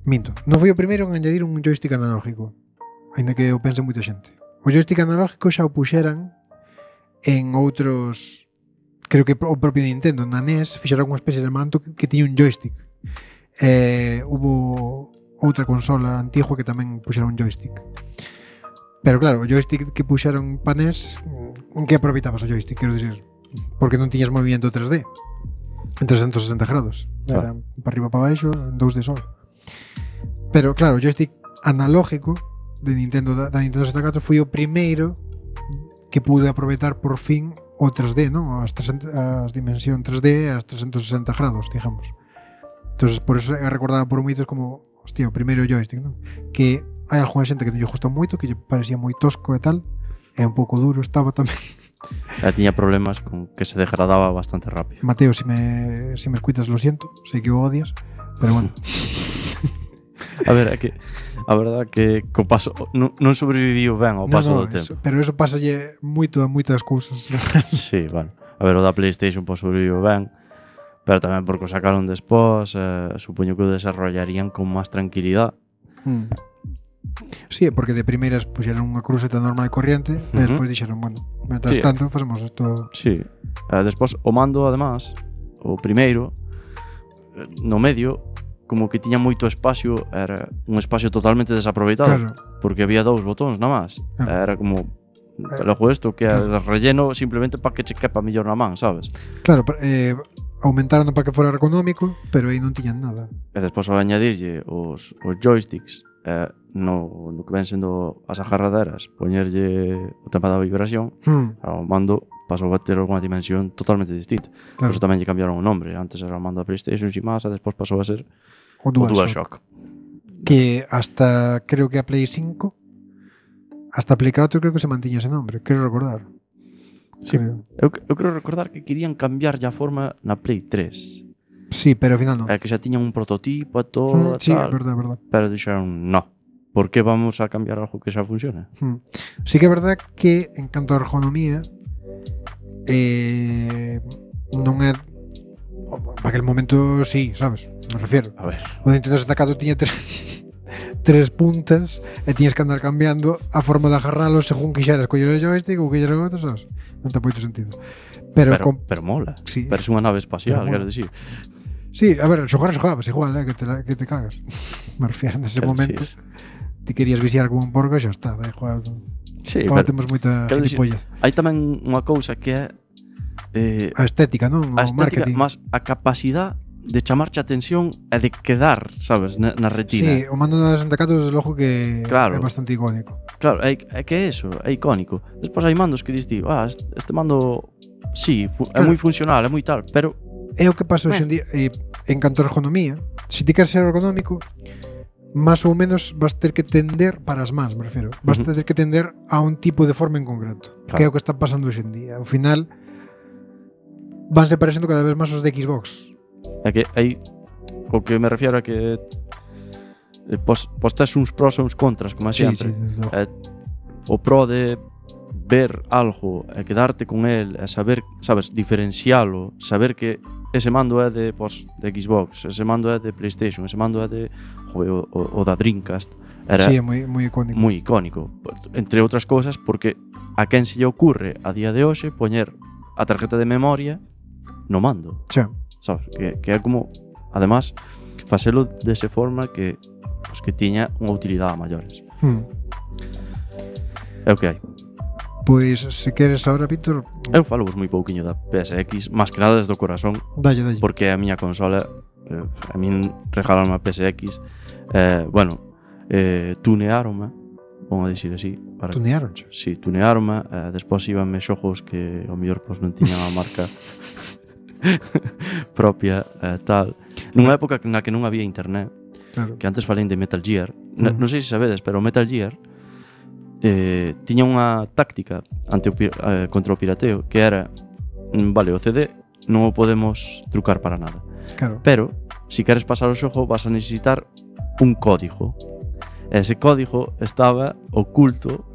non foi o primeiro en añadir un joystick analógico, aínda que o pense moita xente. O joystick analógico xa o puxeran en outros, creo que o propio Nintendo, na NES fixeron unha especie de manto que tiña un joystick. Hubo outra consola antigua que tamén puxera un joystick. Pero claro, o joystick que puxeron pa NES, en que aproveitabas o joystick, quero dicir, porque non tiñas movimento 3D en 360 grados. Era para arriba para baixo, en 2D só. Pero claro, o joystick analógico de Nintendo da Nintendo 64 foi o primeiro que pude aproveitar por fin o 3D, non? As dimensión 3D as 360 grados, digamos. Entonces, por eso é recordada por moitos como, hostia, o primeiro joystick, non? Que hai algunha xente que non lle gusta moito, que lle parecía moi tosco e tal, e un pouco duro estaba tamén. Tiña problemas con que se degradaba bastante rápido. Mateo, si me escuitas, lo siento, sei que o odias, pero bueno. A ver, é que a verdade que co paso non sobreviviu ben ao paso do tempo. Pero eso pásalle moito a moitas cousas. Sí, vale. A ver, o da PlayStation sobreviviu ben, pero tamén porque o sacaron despois, supoño que o desarrollarían con máis tranquilidade. Sí, porque de primeiras puxeron unha cruceta normal e corriente, e despois dixeron, bueno, mentras tanto facemos isto. Sí, despois o mando, además, o primeiro, no medio, como que tiña moito espacio, era un espacio totalmente desaproveitado, Claro. porque había 2 botóns nada máis. Era como logo isto que é relleno simplemente para que che quepa mellor na man, sabes? Claro, aumentaron para que fora económico, pero aí non tiñan nada. E despois ao añadirlle os joysticks, no que ven sendo as agarraderas, poñerlle o tema da vibración, o mando pasou a ter unha dimensión totalmente distinta. Por eso tamén lle cambiaron o nombre. Antes era o mando da PlayStation e máis, e despois pasou a ser o DualShock. Que hasta, creo que a Play 5, hasta Play 4 creo que se mantiña ese nombre, quero recordar. Sí. Eu creo recordar que querían cambiar a forma na Play 3. Sí, pero ao final non. Que xa tiñan un prototipo e todo, sí, tal. Verdad. Pero dixeron, no. ¿Por que vamos a cambiar algo que xa funciona? Sí que é verdad que en canto a ergonomía non é para aquel momento, sí, sabes, me refiero. A ver. O Nintendo 64 tiña tres puntas e tiñas que andar cambiando a forma de agarralo según quixeras coller o joystick ou quixeras o outro, sabes? Non ten moito sentido. Pero mola. Sí. Parece unha nave espacial, quero dicir. Sí, a ver, xogabas igual, que te cagas. Me refiero nese momento. Ti querías viciar como un porco e xa está, da igual. Sí, agora temos moita gilipollas. Hai tamén unha cousa que é a estética, non? A estética, marketing. Más a capacidade de chamarche a atención e de quedar, sabes, na retina. Sí, o mando da 64 desde logo que claro. É bastante icónico. Claro, é que é eso, é icónico. Despois hai mandos que dis ti, este mando sí, é moi funcional, é moi tal, pero é o que pasa hoxe en día en canto a ergonomía. Se ti queres ser ergonómico, máis ou menos vas ter que tender para as mans, me refiro. Vas ter que tender a un tipo de forma en concreto, claro. Que é o que está pasando hoxe en día. Ao final vanse parecendo cada vez máis os de Xbox. É que hai o que me refiero é que pos tes uns pros e uns contras, como sempre. Sí, o pro de ver algo e quedarte con el e saber, sabes, diferencialo, saber que ese mando é de Xbox, ese mando é de PlayStation, ese mando é de o da Dreamcast. Era sí, é moi icónico. Moi icónico, entre outras cousas porque a quen se lle ocurre a día de hoxe poñer a tarjeta de memoria no mando. Sí. Sabes, que é como, además, facelo dese forma que tiña unha utilidade a maiores. É o que hai. Pois, se queres agora, Víctor... Eu falo moi pouquiño da PSX, máis que nada desde o corazón. Dalle. Porque é a miña consola, a min regalaron a PSX. Tunearonme vamos a dicir así. Tunearonche. Si, tunearme, despois íbanme xogos que ao mellor pois, non tiñan a marca propia, tal. Nunha época na que non había internet, Claro. que antes falei de Metal Gear, non sei se sabedes, pero Metal Gear tiña unha táctica contra o pirateo, que era, vale, o CD non o podemos trucar para nada, Claro. pero, se queres pasar o xogo, vas a necesitar un código. Ese código estaba oculto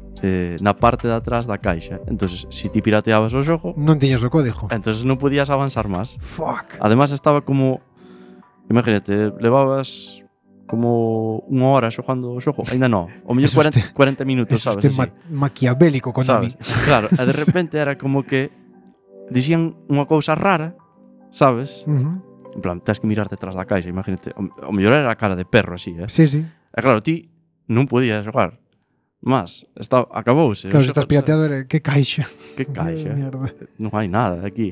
na parte de atrás da caixa. Entonces, se ti pirateabas o xogo, Non tiñas o código. entonces non podías avanzar máis. Fuck. Además estaba como, imagínate, levabas como unha hora xogando o xogo, ainda non, o mellor Eso 40 minutos, Eso sabes, este así, maquiavélico con sabes? Claro, e de repente era como que dicían unha cousa rara, sabes? En plan, tens que mirar detrás da caixa, imagínate, o mellor era a cara de perro así, Sí, sí. E claro, ti non podías xogar. Mas, acabouse. Claro, se estás pirateado, que caixa. Que caixa? Mierda. Non hai nada aquí.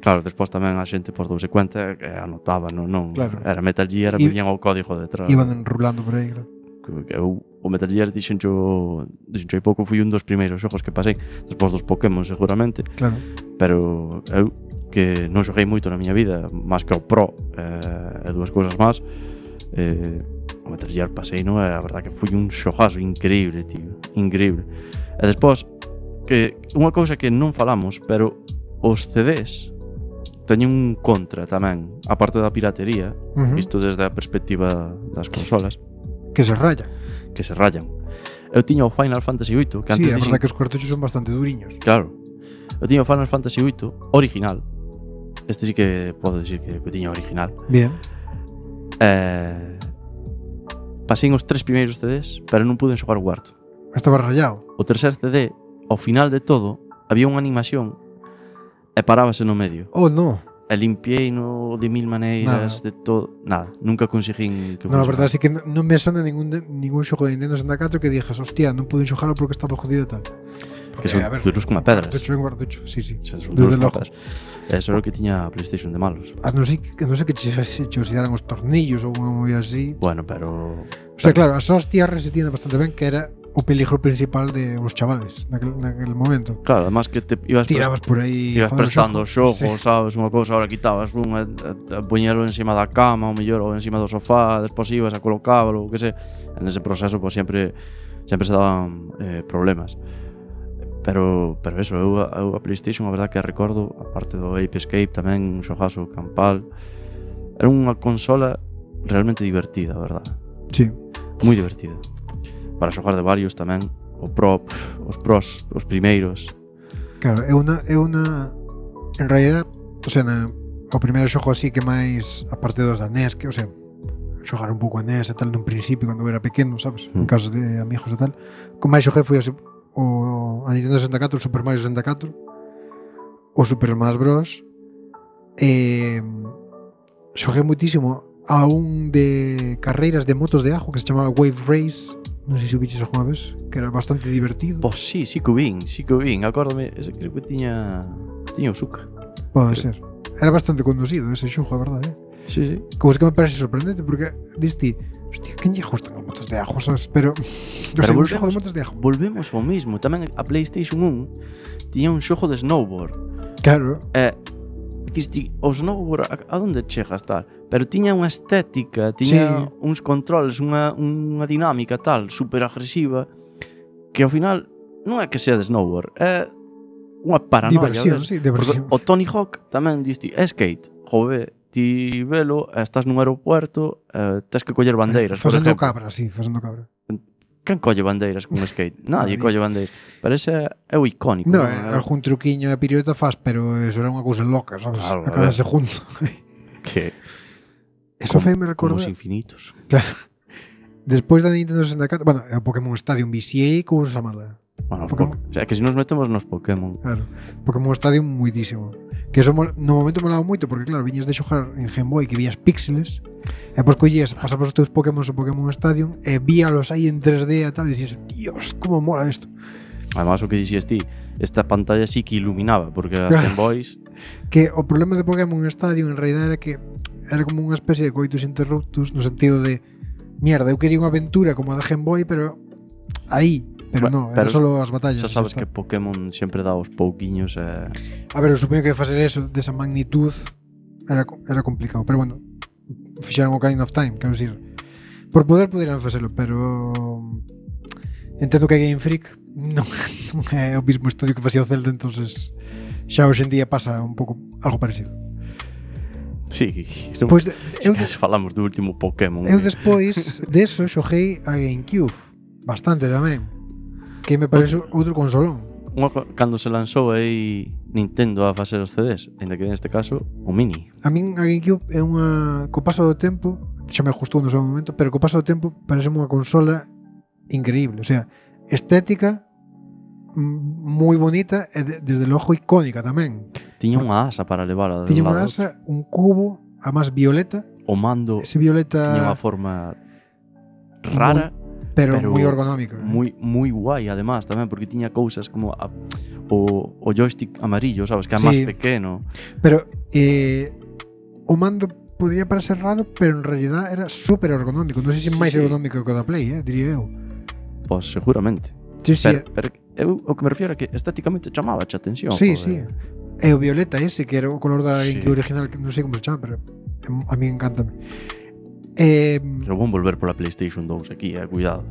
Claro, despois tamén a xente por douse cuenta que anotaba, non Claro. era Metal Gear, viñan o código detrás. Iban enrulando por aí, claro. Que eu, o Metal Gear dixencho hai pouco, fui un dos primeiros xogos que pasei, despois dos Pokémon seguramente, Claro. pero eu que non xoguei moito na miña vida, máis que o Pro e dúas cousas máis, o Metal Gear pasei, non? A verdad que foi un xogazo increíble, tío, increíble. E despois, que unha cousa que non falamos, pero os CDs teñen un contra tamén, a parte da piratería, visto desde a perspectiva das consolas, Que se raya. que se rayan. Eu tiña o Final Fantasy VIII, que Sí, antes a verdad que os cartuchos son bastante duriños. Claro. Eu tiña o Final Fantasy VIII original. Este sí que podo dicir que tiña original. Bien. Pasei os 3 primeiros CDs, pero non pude xogar o cuarto. Estaba rayado. O tercer CD, ao final de todo, había unha animación e parábase no medio. Oh, no. E limpiei no de mil maneiras, de todo. Nada, nunca conseguín que No, a verdade é que non me sona ningún xogo de Nintendo 64 que dixas, hostia, non pude xogarlo porque estaba jodido e tal. Que son duros como pedras. Cartucho en cartucho, sí, sí. Son Desde duros logo. como pedras. Eso é o que tiña a PlayStation de malos. Non sei que che oxidaran os tornillos ou unha movida así. Bueno, pero... O sea, claro, as hostias resistían bastante ben, que era o peligro principal de uns chavales naquel momento. Claro, además que te ibas Tirabas por aí, ibas prestando o xogo, sí. sabes, unha cousa, ahora quitabas un e poñelo encima da cama, ou mellor, ou encima do sofá, despois ibas a colocábalo, o que sei. En ese proceso, pues, sempre se daban problemas. Pero eso, eu a PlayStation, a verdad que a recordo, a parte do Ape Escape tamén, un xogazo campal. Era unha consola realmente divertida, a verdad. Sí. Moi divertida. Para xogar de varios tamén, os pros, os primeiros. Claro, é unha en realidad, o sea, o primeiro xogo así que máis, aparte dos da NES, que, o sea, xogar un pouco a NES e tal nun principio cando era pequeno, sabes, en casas de amigos e tal. Con máis xoguei foi así, a Nintendo 64, o Super Mario 64, o Super Smash Bros. Xoguei muitísimo a un de carreiras de motos de ajo que se chamaba Wave Race, non sei se o biches alguna vez, que era bastante divertido. Pois sí que o vin, acórdame, ese creo que tiña o Suca. Pode ser. Era bastante conducido ese xogo, a verdade, Sí. Como es que me parece sorprendente, porque diste, hostia, quen lle gustan as motos de ajo, sabes? Pero un xogo de motos de ajo. Volvemos ao mismo, tamén a PlayStation 1 tiña un xogo de snowboard. Claro. Diste, o snowboard a onde chegas tal, pero tiña unha estética, tiña uns controles, unha dinámica tal, super agresiva, que ao final non é que sea de snowboard, é unha paranoia. Diversión, sí, diversión. O Tony Hawk tamén diste, é skate, jove, ti velo, estás nun aeropuerto, tens que coller bandeiras, por Facendo exemplo. cabra, sí, facendo cabra. Quen colle bandeiras con skate? Nadie colle bandeiras. Pero ese é o icónico. No, algún truquiño e pirueta faz, pero eso era unha cousa loca, sabes? Claro, a cada segundo. Que Eso foi me recorda. Como os infinitos. Claro. Despois da Nintendo 64, bueno, o Pokémon Stadium viciei cousa mala. Bueno, Pokémon. o sea, que se nos metemos nos Pokémon. Claro. Pokémon Stadium muitísimo. Que eso no momento molaba moito porque claro, viñas de xogar en Game Boy que vías píxeles e depois collías, pasabas os teus Pokémon ao Pokémon Stadium e víalos aí en 3D e tal e dixías, Dios, como mola isto. Además, o que dixías ti, esta pantalla sí que iluminaba, porque as Game Boys... Que o problema de Pokémon Stadium en realidad era que era como unha especie de coitus interruptus no sentido de mierda, eu quería unha aventura como a da Game Boy, pero aí Pero Bueno, non, era solo as batallas. Xa sabes está. que Pokémon sempre dá os pouquiños A ver, eu supoño que facer eso desa magnitud era complicado, pero bueno, fixeron o Ocarina of Time, quero dicir, por poder poderan facelo, pero entendo que Game Freak non é o mismo estudio que facía o Zelda, entonces xa hoxe en día pasa un pouco algo parecido. Sí, Pois falamos do último Pokémon. eu despois deso xoguei a GameCube bastante tamén, que me parece outro consolón. Cando se lanzou aí Nintendo a facer os CDs, ainda que neste caso o Mini. A min a GameCube é unha, co paso do tempo, xa me gustou no seu momento, pero co paso do tempo parece unha consola increíble, o sea, estética moi bonita e desde logo icónica tamén. Tiña unha asa para levar a Tiña unha asa, un cubo, a máis violeta, o mando ese violeta tiña unha forma rara, pero pero moi ergonómica. moi guai además tamén, porque tiña cousas como o joystick amarillo, sabes, que é Sí. máis pequeno. Pero o mando podría parecer raro, pero en realidad era super ergonómico. Non sei se Sí, máis sí. ergonómico que o da Play, diría eu. Pois seguramente. Sí, sí, Pero eu o que me refiero é que estéticamente chamaba a atención. sí, joder. sí. E o violeta ese, que era o color da Sí. GameCube original, que non sei como se chama, pero a mí encántame. Eu vou volver pola PlayStation 2 aquí, cuidado.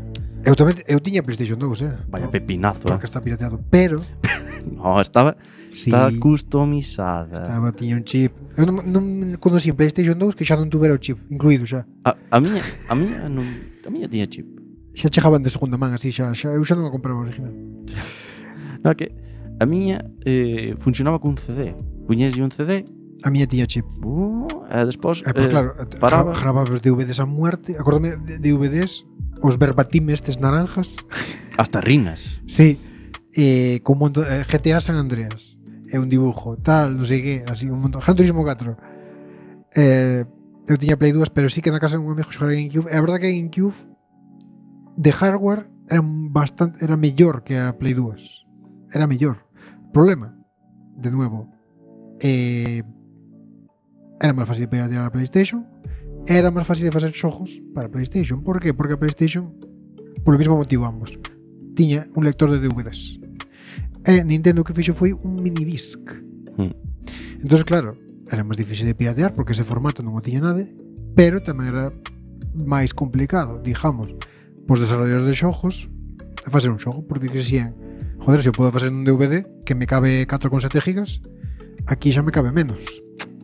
Eu tiña PlayStation 2, Vaya pepinazo. porque está pirateado, pero No, estaba sí, customizada. tiña un chip. Eu non conocí en PlayStation 2 que xa non tuvera o chip incluído xa. A miña tiña chip. Xa chegaban de segunda man, así eu xa non a compraba original. No, que a miña funcionaba cun CD. Puñeslle un CD, A miña tiña chip. e despois Pois claro, paraba. grababas DVDs a muerte. Acórdame de DVDs, os verbatim estes naranjas. Hasta rinas. Sí. Con un montón, GTA San Andreas. É un dibujo, tal, non sei que, así un montón. Gran Turismo 4. Eu tiña Play 2, pero sí que na casa de un amigo xogara GameCube. É a verdade que a GameCube de hardware era mellor que a Play 2. Era mellor. Problema, de nuevo, era máis fácil de piratear a PlayStation, era máis fácil de facer xogos para a PlayStation. Por qué? Porque a PlayStation, polo mesmo motivo ambos, tiña un lector de DVDs. E Nintendo o que fixo foi un minidisc. Entón, claro, era máis difícil de piratear porque ese formato non o tiña nada, pero tamén era máis complicado, digamos, pos desarrolladores de xogos a facer un xogo, porque dixían, joder, se eu podo facer un DVD que me cabe 4,7 gigas, aquí xa me cabe menos.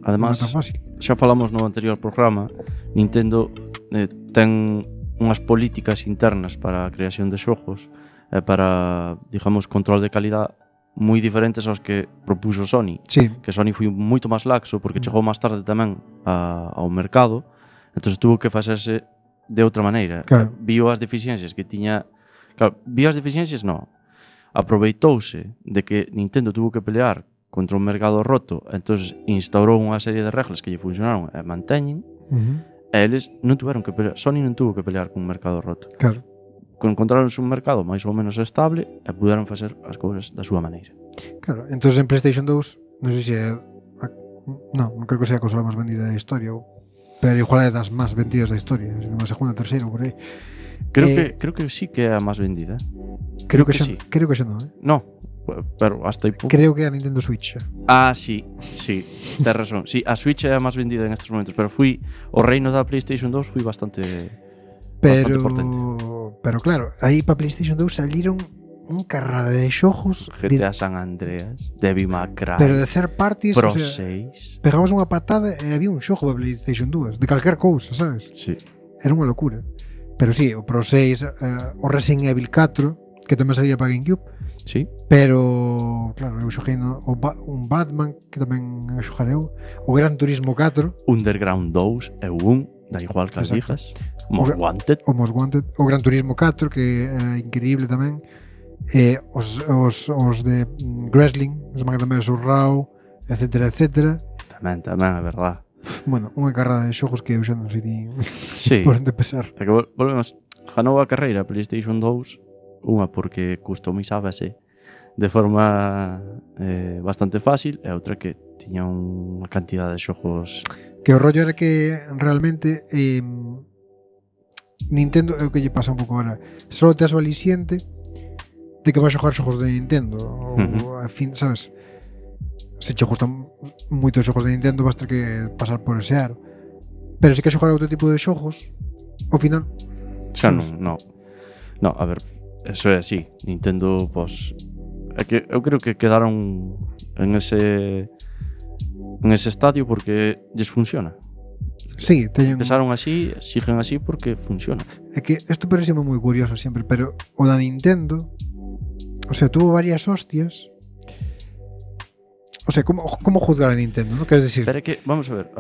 Además, non é tan fácil. xa falamos no anterior programa, Nintendo ten unhas políticas internas para a creación de xogos e para, digamos, control de calidad moi diferentes aos que propuxo Sony. Sí, Que Sony foi moito máis laxo porque chegou máis tarde tamén ao mercado, entón tuvo que facerse de outra maneira. Claro. Viu as deficiencias que tiña. Claro, viu as deficiencias, non. Aproveitouse de que Nintendo tuvo que pelear contra un mercado roto, entón instaurou unha serie de reglas que lle funcionaron e manteñen, e eles non tuveron que pelear, Sony non tuvo que pelear con un mercado roto. claro. Encontraronse un mercado máis ou menos estable e puderon facer as cousas da súa maneira. Claro, entón en PlayStation 2, non sei se é non creo que sea a consola máis vendida da historia, pero igual é das máis vendidas da historia, se non a segunda, terceira, por aí. Creo que sí que é a máis vendida. Creo que sí. xa non, No, pero hasta aí pouco. Creo que é a Nintendo Switch. Sí, tes razón. Sí, a Switch é a máis vendida en estes momentos, pero o reino da PlayStation 2 foi bastante potente. Pero claro, aí para PlayStation 2 saliron un carrada de xogos GTA San Andreas, Devil May Cry, pero de third parties, Pro o sea, 6. pegabas unha patada e había un xogo para PlayStation 2 de calquer cousa, sabes? Sí. Era unha locura. Pero sí, o Pro 6, o Resident Evil 4, que tamén salía para GameCube, Sí. pero claro, eu xoguei un Batman que tamén xogar eu, o Gran Turismo 4, Underground 2 e 1, da igual que as Exacto. dijas. Most Wanted. o Most Wanted, o Gran Turismo 4 que era increíble tamén, os de Wrestling, os Magdamers Raw, etcétera, etcétera. Tamén, é verdad. Bueno, unha carrada de xogos que eu xa non sei nin Sí. por onde pesar. É que volvemos, ganou a carreira PlayStation 2, unha porque customizábase de forma bastante fácil e outra que tiña unha cantidad de xogos. Que o rollo era que realmente Nintendo é o que lle pasa un pouco agora. Só tes o aliciente de que vas xogar xogos de Nintendo ou a fin, sabes? Se che gustan moitos xogos de Nintendo vas ter que pasar por ese aro. Pero se que xogar outro tipo de xogos, ao final Xa non. No, a ver, eso é así. Nintendo, pois é que eu creo que quedaron en ese estadio porque lles funciona. sí, teñen... Empezaron así, siguen así porque funciona. É que isto parece moi curioso sempre, pero o da Nintendo, o sea, tuvo varias hostias. O sea, como juzgar a Nintendo, ¿no? Queres decir? Pero é que, vamos a ver,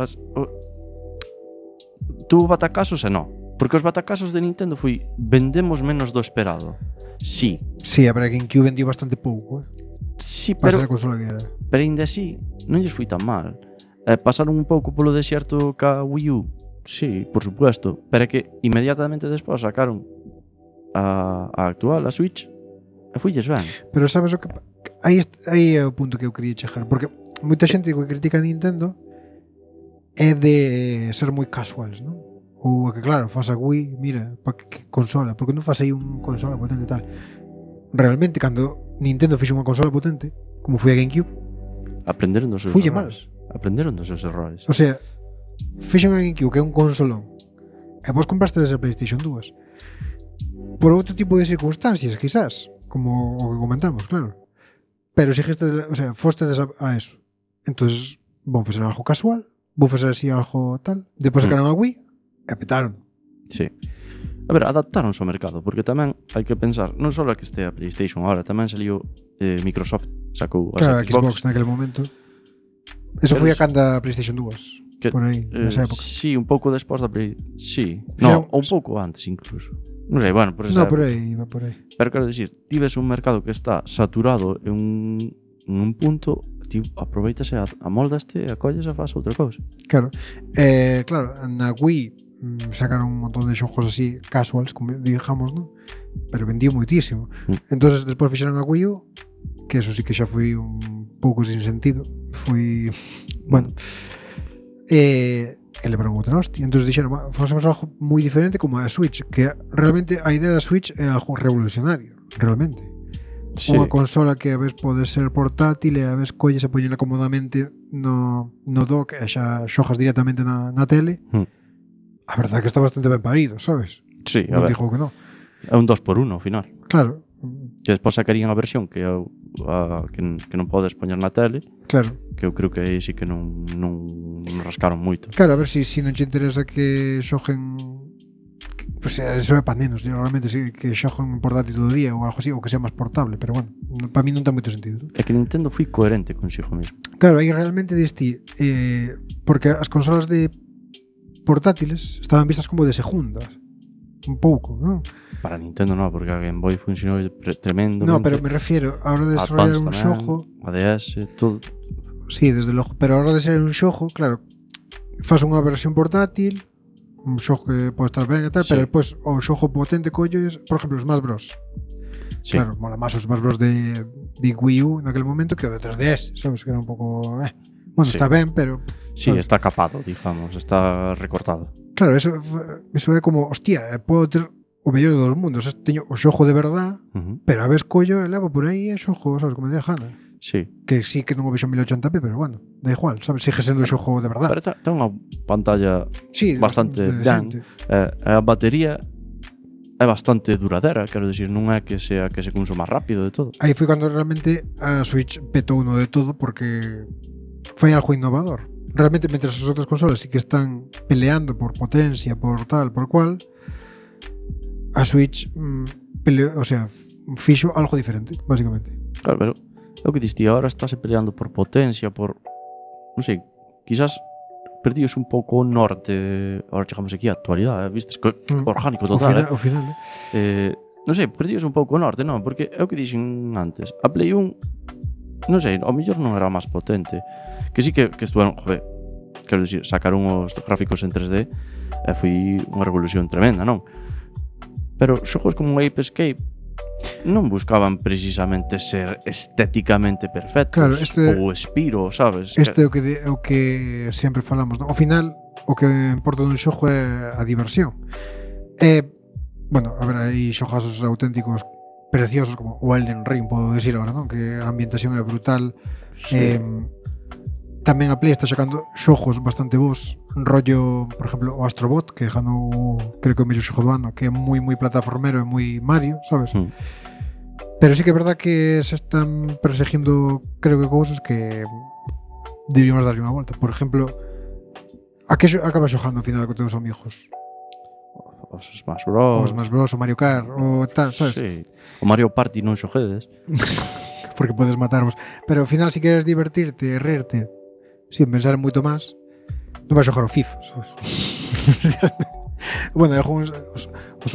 tuvo batacasos e non. Porque os batacasos de Nintendo foi vendemos menos do esperado. Sí. Sí, a ver, a GameCube vendió bastante pouco, Sí, para ser pero a consola que era. Pero ainda así, non lles foi tan mal. Pasaron un pouco polo desierto ca Wii U. Sí, por supuesto. Pero é que inmediatamente despois sacaron a actual, a Switch, e fuilles ben. Pero sabes o que... Aí é o punto que eu quería chegar. Porque moita xente que critica a Nintendo é de ser moi casuals, non? Ou que claro, faz a Wii, mira, para que consola, porque non faz aí un consola potente e tal. Realmente, cando Nintendo fixo unha consola potente, como foi a GameCube, Aprenderon dos seus fulle errores. Aprenderon dos seus errores. O sea, fixo a GameCube, que é un consolón, e vos compraste desde a PlayStation 2 por outro tipo de circunstancias, quizás, como o que comentamos, claro. Pero xiste, o sea, fostedes a eso. Entonces, vão facer algo casual, vou facer así algo tal, depois sacaron a Wii e petaron. Sí. A ver, adaptaronse ao mercado, porque tamén hai que pensar, non só que este a PlayStation agora, tamén saliu Microsoft, sacou as Claro, a Xbox naquele momento. Eso foi a canda PlayStation 2, que, por aí, nesa época. Sí, un pouco despois da Play... Sí, Fixeron- un pouco antes incluso. Non sei, bueno, por esa No, por época. aí, va por aí. Pero quero dicir, ti ves un mercado que está saturado en un punto, ti aproveitase, amoldaste, acolles e faz outra cousa. Claro. Claro, na Wii sacaron un montón de xogos así casuals, como digamos, ¿no? Pero vendió moitísimo. Entonces despois fixeron a Wii U, que eso sí que xa foi un pouco sin sentido. Foi, bueno, e levaron outra hostia. Entonces dixeron, facemos algo moi diferente como a Switch, que realmente a idea da Switch é algo revolucionario, realmente. Sí. Unha consola que a vez pode ser portátil e a vez colles e poñela cómodamente no dock e xa xogas directamente na tele. A verdade é que está bastante ben parido, sabes? Sí, a Non ver, digo que non. é un 2x1 ao final. Claro, Que despois sacarían a versión que non podes poñer na tele, claro. que eu creo que aí sí que non rascaron moito. Claro, a ver se si non che interesa que xoguen, pues eso é para nenos, realmente sí, que xoguen portátil todo o día ou algo así, ou que sea máis portable, pero bueno, para mí non ten moito sentido. É que Nintendo foi coherente consigo mesmo. Claro, aí realmente diste porque as consolas de portátiles estaban vistas como de segundas, un pouco, non? Para Nintendo non, porque a Game Boy funcionou tremendo. No, pero me refiero a hora de desarrollar un xogo, a DS, todo. sí, desde logo, pero a hora de ser un xogo, claro, faz unha versión portátil, un xogo que pode estar ben e tal, Sí. pero depois o xogo potente colles, por exemplo, os Smash Bros. Sí. Claro, mola máis os Smash Bros de Wii U naquele momento que o de 3DS, sabes, que era un pouco, bueno, Sí. está ben, pero Sí, sabes? está capado, digamos, está recortado. Claro, eso é como, hostia, podo ter o mellor dos mundos, teño o xogo de verdad, pero a vez collo e levo por aí e xogo, sabes, como me dé gana. Sí. Que sí que non o vexo en 1080p, pero bueno, da igual, sabes, sigue sendo o xogo de verdad. Pero ten unha pantalla Sí, bastante ben. decente. A batería é bastante duradera, quero dicir, non é que sea que se consuma rápido de todo. Aí foi cando realmente a Switch petou uno de todo porque foi algo innovador. Realmente, mentre as outras consolas sí que están peleando por potencia, por tal, por cual, a Switch o sea, fixo algo diferente, básicamente. Claro, pero é o que diste, agora estáse peleando por potencia, por... non sei, quizás perdidos un pouco o norte, agora chegamos aquí á actualidade, vistes, orgánico total, O final, non sei, perdidos un pouco o norte, non, porque é o que dixen antes, a Play 1, non sei, ao mellor non era máis potente, que sí que estuveron, joder, quero dicir, sacaron os gráficos en 3D e foi unha revolución tremenda, non? Pero xogos como Ape Escape non buscaban precisamente ser estéticamente perfectos, Claro, ou Spiro, sabes? este é o que sempre falamos, non? Ao final, o que importa dun xogo é a diversión. Bueno, a ver, hai xogazos auténticos preciosos como o Elden Ring, podo decir agora, non? Que a ambientación é brutal. Sí. Tamén a Play está sacando xogos bastante bons, rollo, por exemplo, o Astrobot, que ganou, creo que o mellor xogo do ano, que é moi plataformero e moi Mario, sabes? Pero sí que é verdad que se están perseguindo, creo que cousas que deberíamos darlle unha volta. Por exemplo, a que acabas xogando ao final con teus amigos? Os Smash Bros. O Smash Bros, o Mario Kart, o tal, sabes? Sí. O Mario Party non xoguedes. Porque podes matarvos. Pero ao final, se queres divertirte e reírte sin pensar en moito máis, non vais xogar o FIFA, sabes? Bueno, algúns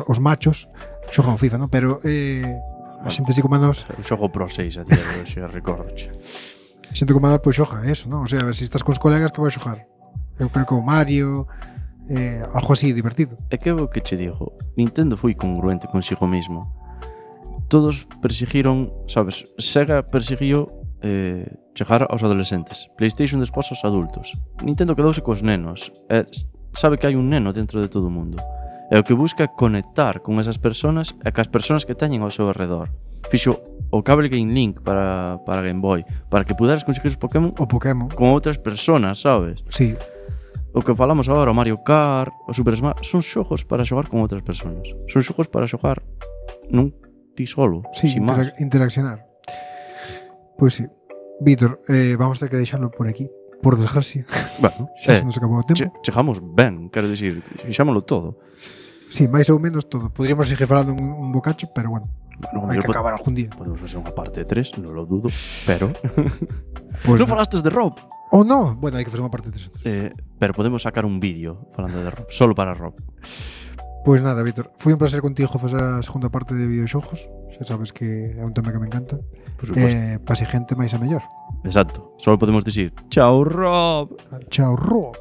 os machos xogan o FIFA, non? Pero a xente así como a nós, Eu xogo Pro 6 a día de hoxe, recordoche. a xente como a nós, pois xoga eso, non? O sea, se estás cos colegas, que vais xogar? Eu creo que o Mario, algo así divertido. É que o que che digo, Nintendo foi congruente consigo mesmo. Todos perseguiron, sabes, Sega persiguiu chegar aos adolescentes, PlayStation despois aos adultos. Nintendo quedouse cos nenos, sabe que hai un neno dentro de todo o mundo. E o que busca é conectar con esas personas e cas personas que teñen ao seu alrededor. Fixo o cable Game Link para Game Boy, para que puderas conseguir os Pokémon O Pokémon. con outras personas, sabes? Sí. O que falamos agora, o Mario Kart, o Super Smash, son xogos para xogar con outras personas. Son xogos para xogar nun ti solo, Sí, sin máis. interaccionar. Pois sí. Víctor, vamos a ter que deixarlo por aquí, por desgracia. Bueno, Xa se nos acabou o tempo. chegamos ben, quero dicir, fixámoslo todo. Sí, máis ou menos todo. Podríamos seguir falando un bocacho, pero bueno, Bueno, hai que acabar algún día. Podemos facer unha parte 3, non lo dudo, pero... Pues non falastes de Rob! Oh, no. Bueno, hai que facer unha parte 3. Pero podemos sacar un vídeo falando de Rob, solo para Rob. Pois nada, Víctor, foi un placer contigo facer a segunda parte de videoxogos. Xa sabes que é un tema que me encanta. Por suposto. Para si gente máis a mellor. Exacto, solo podemos dicir chao Rob! Chao, Rob.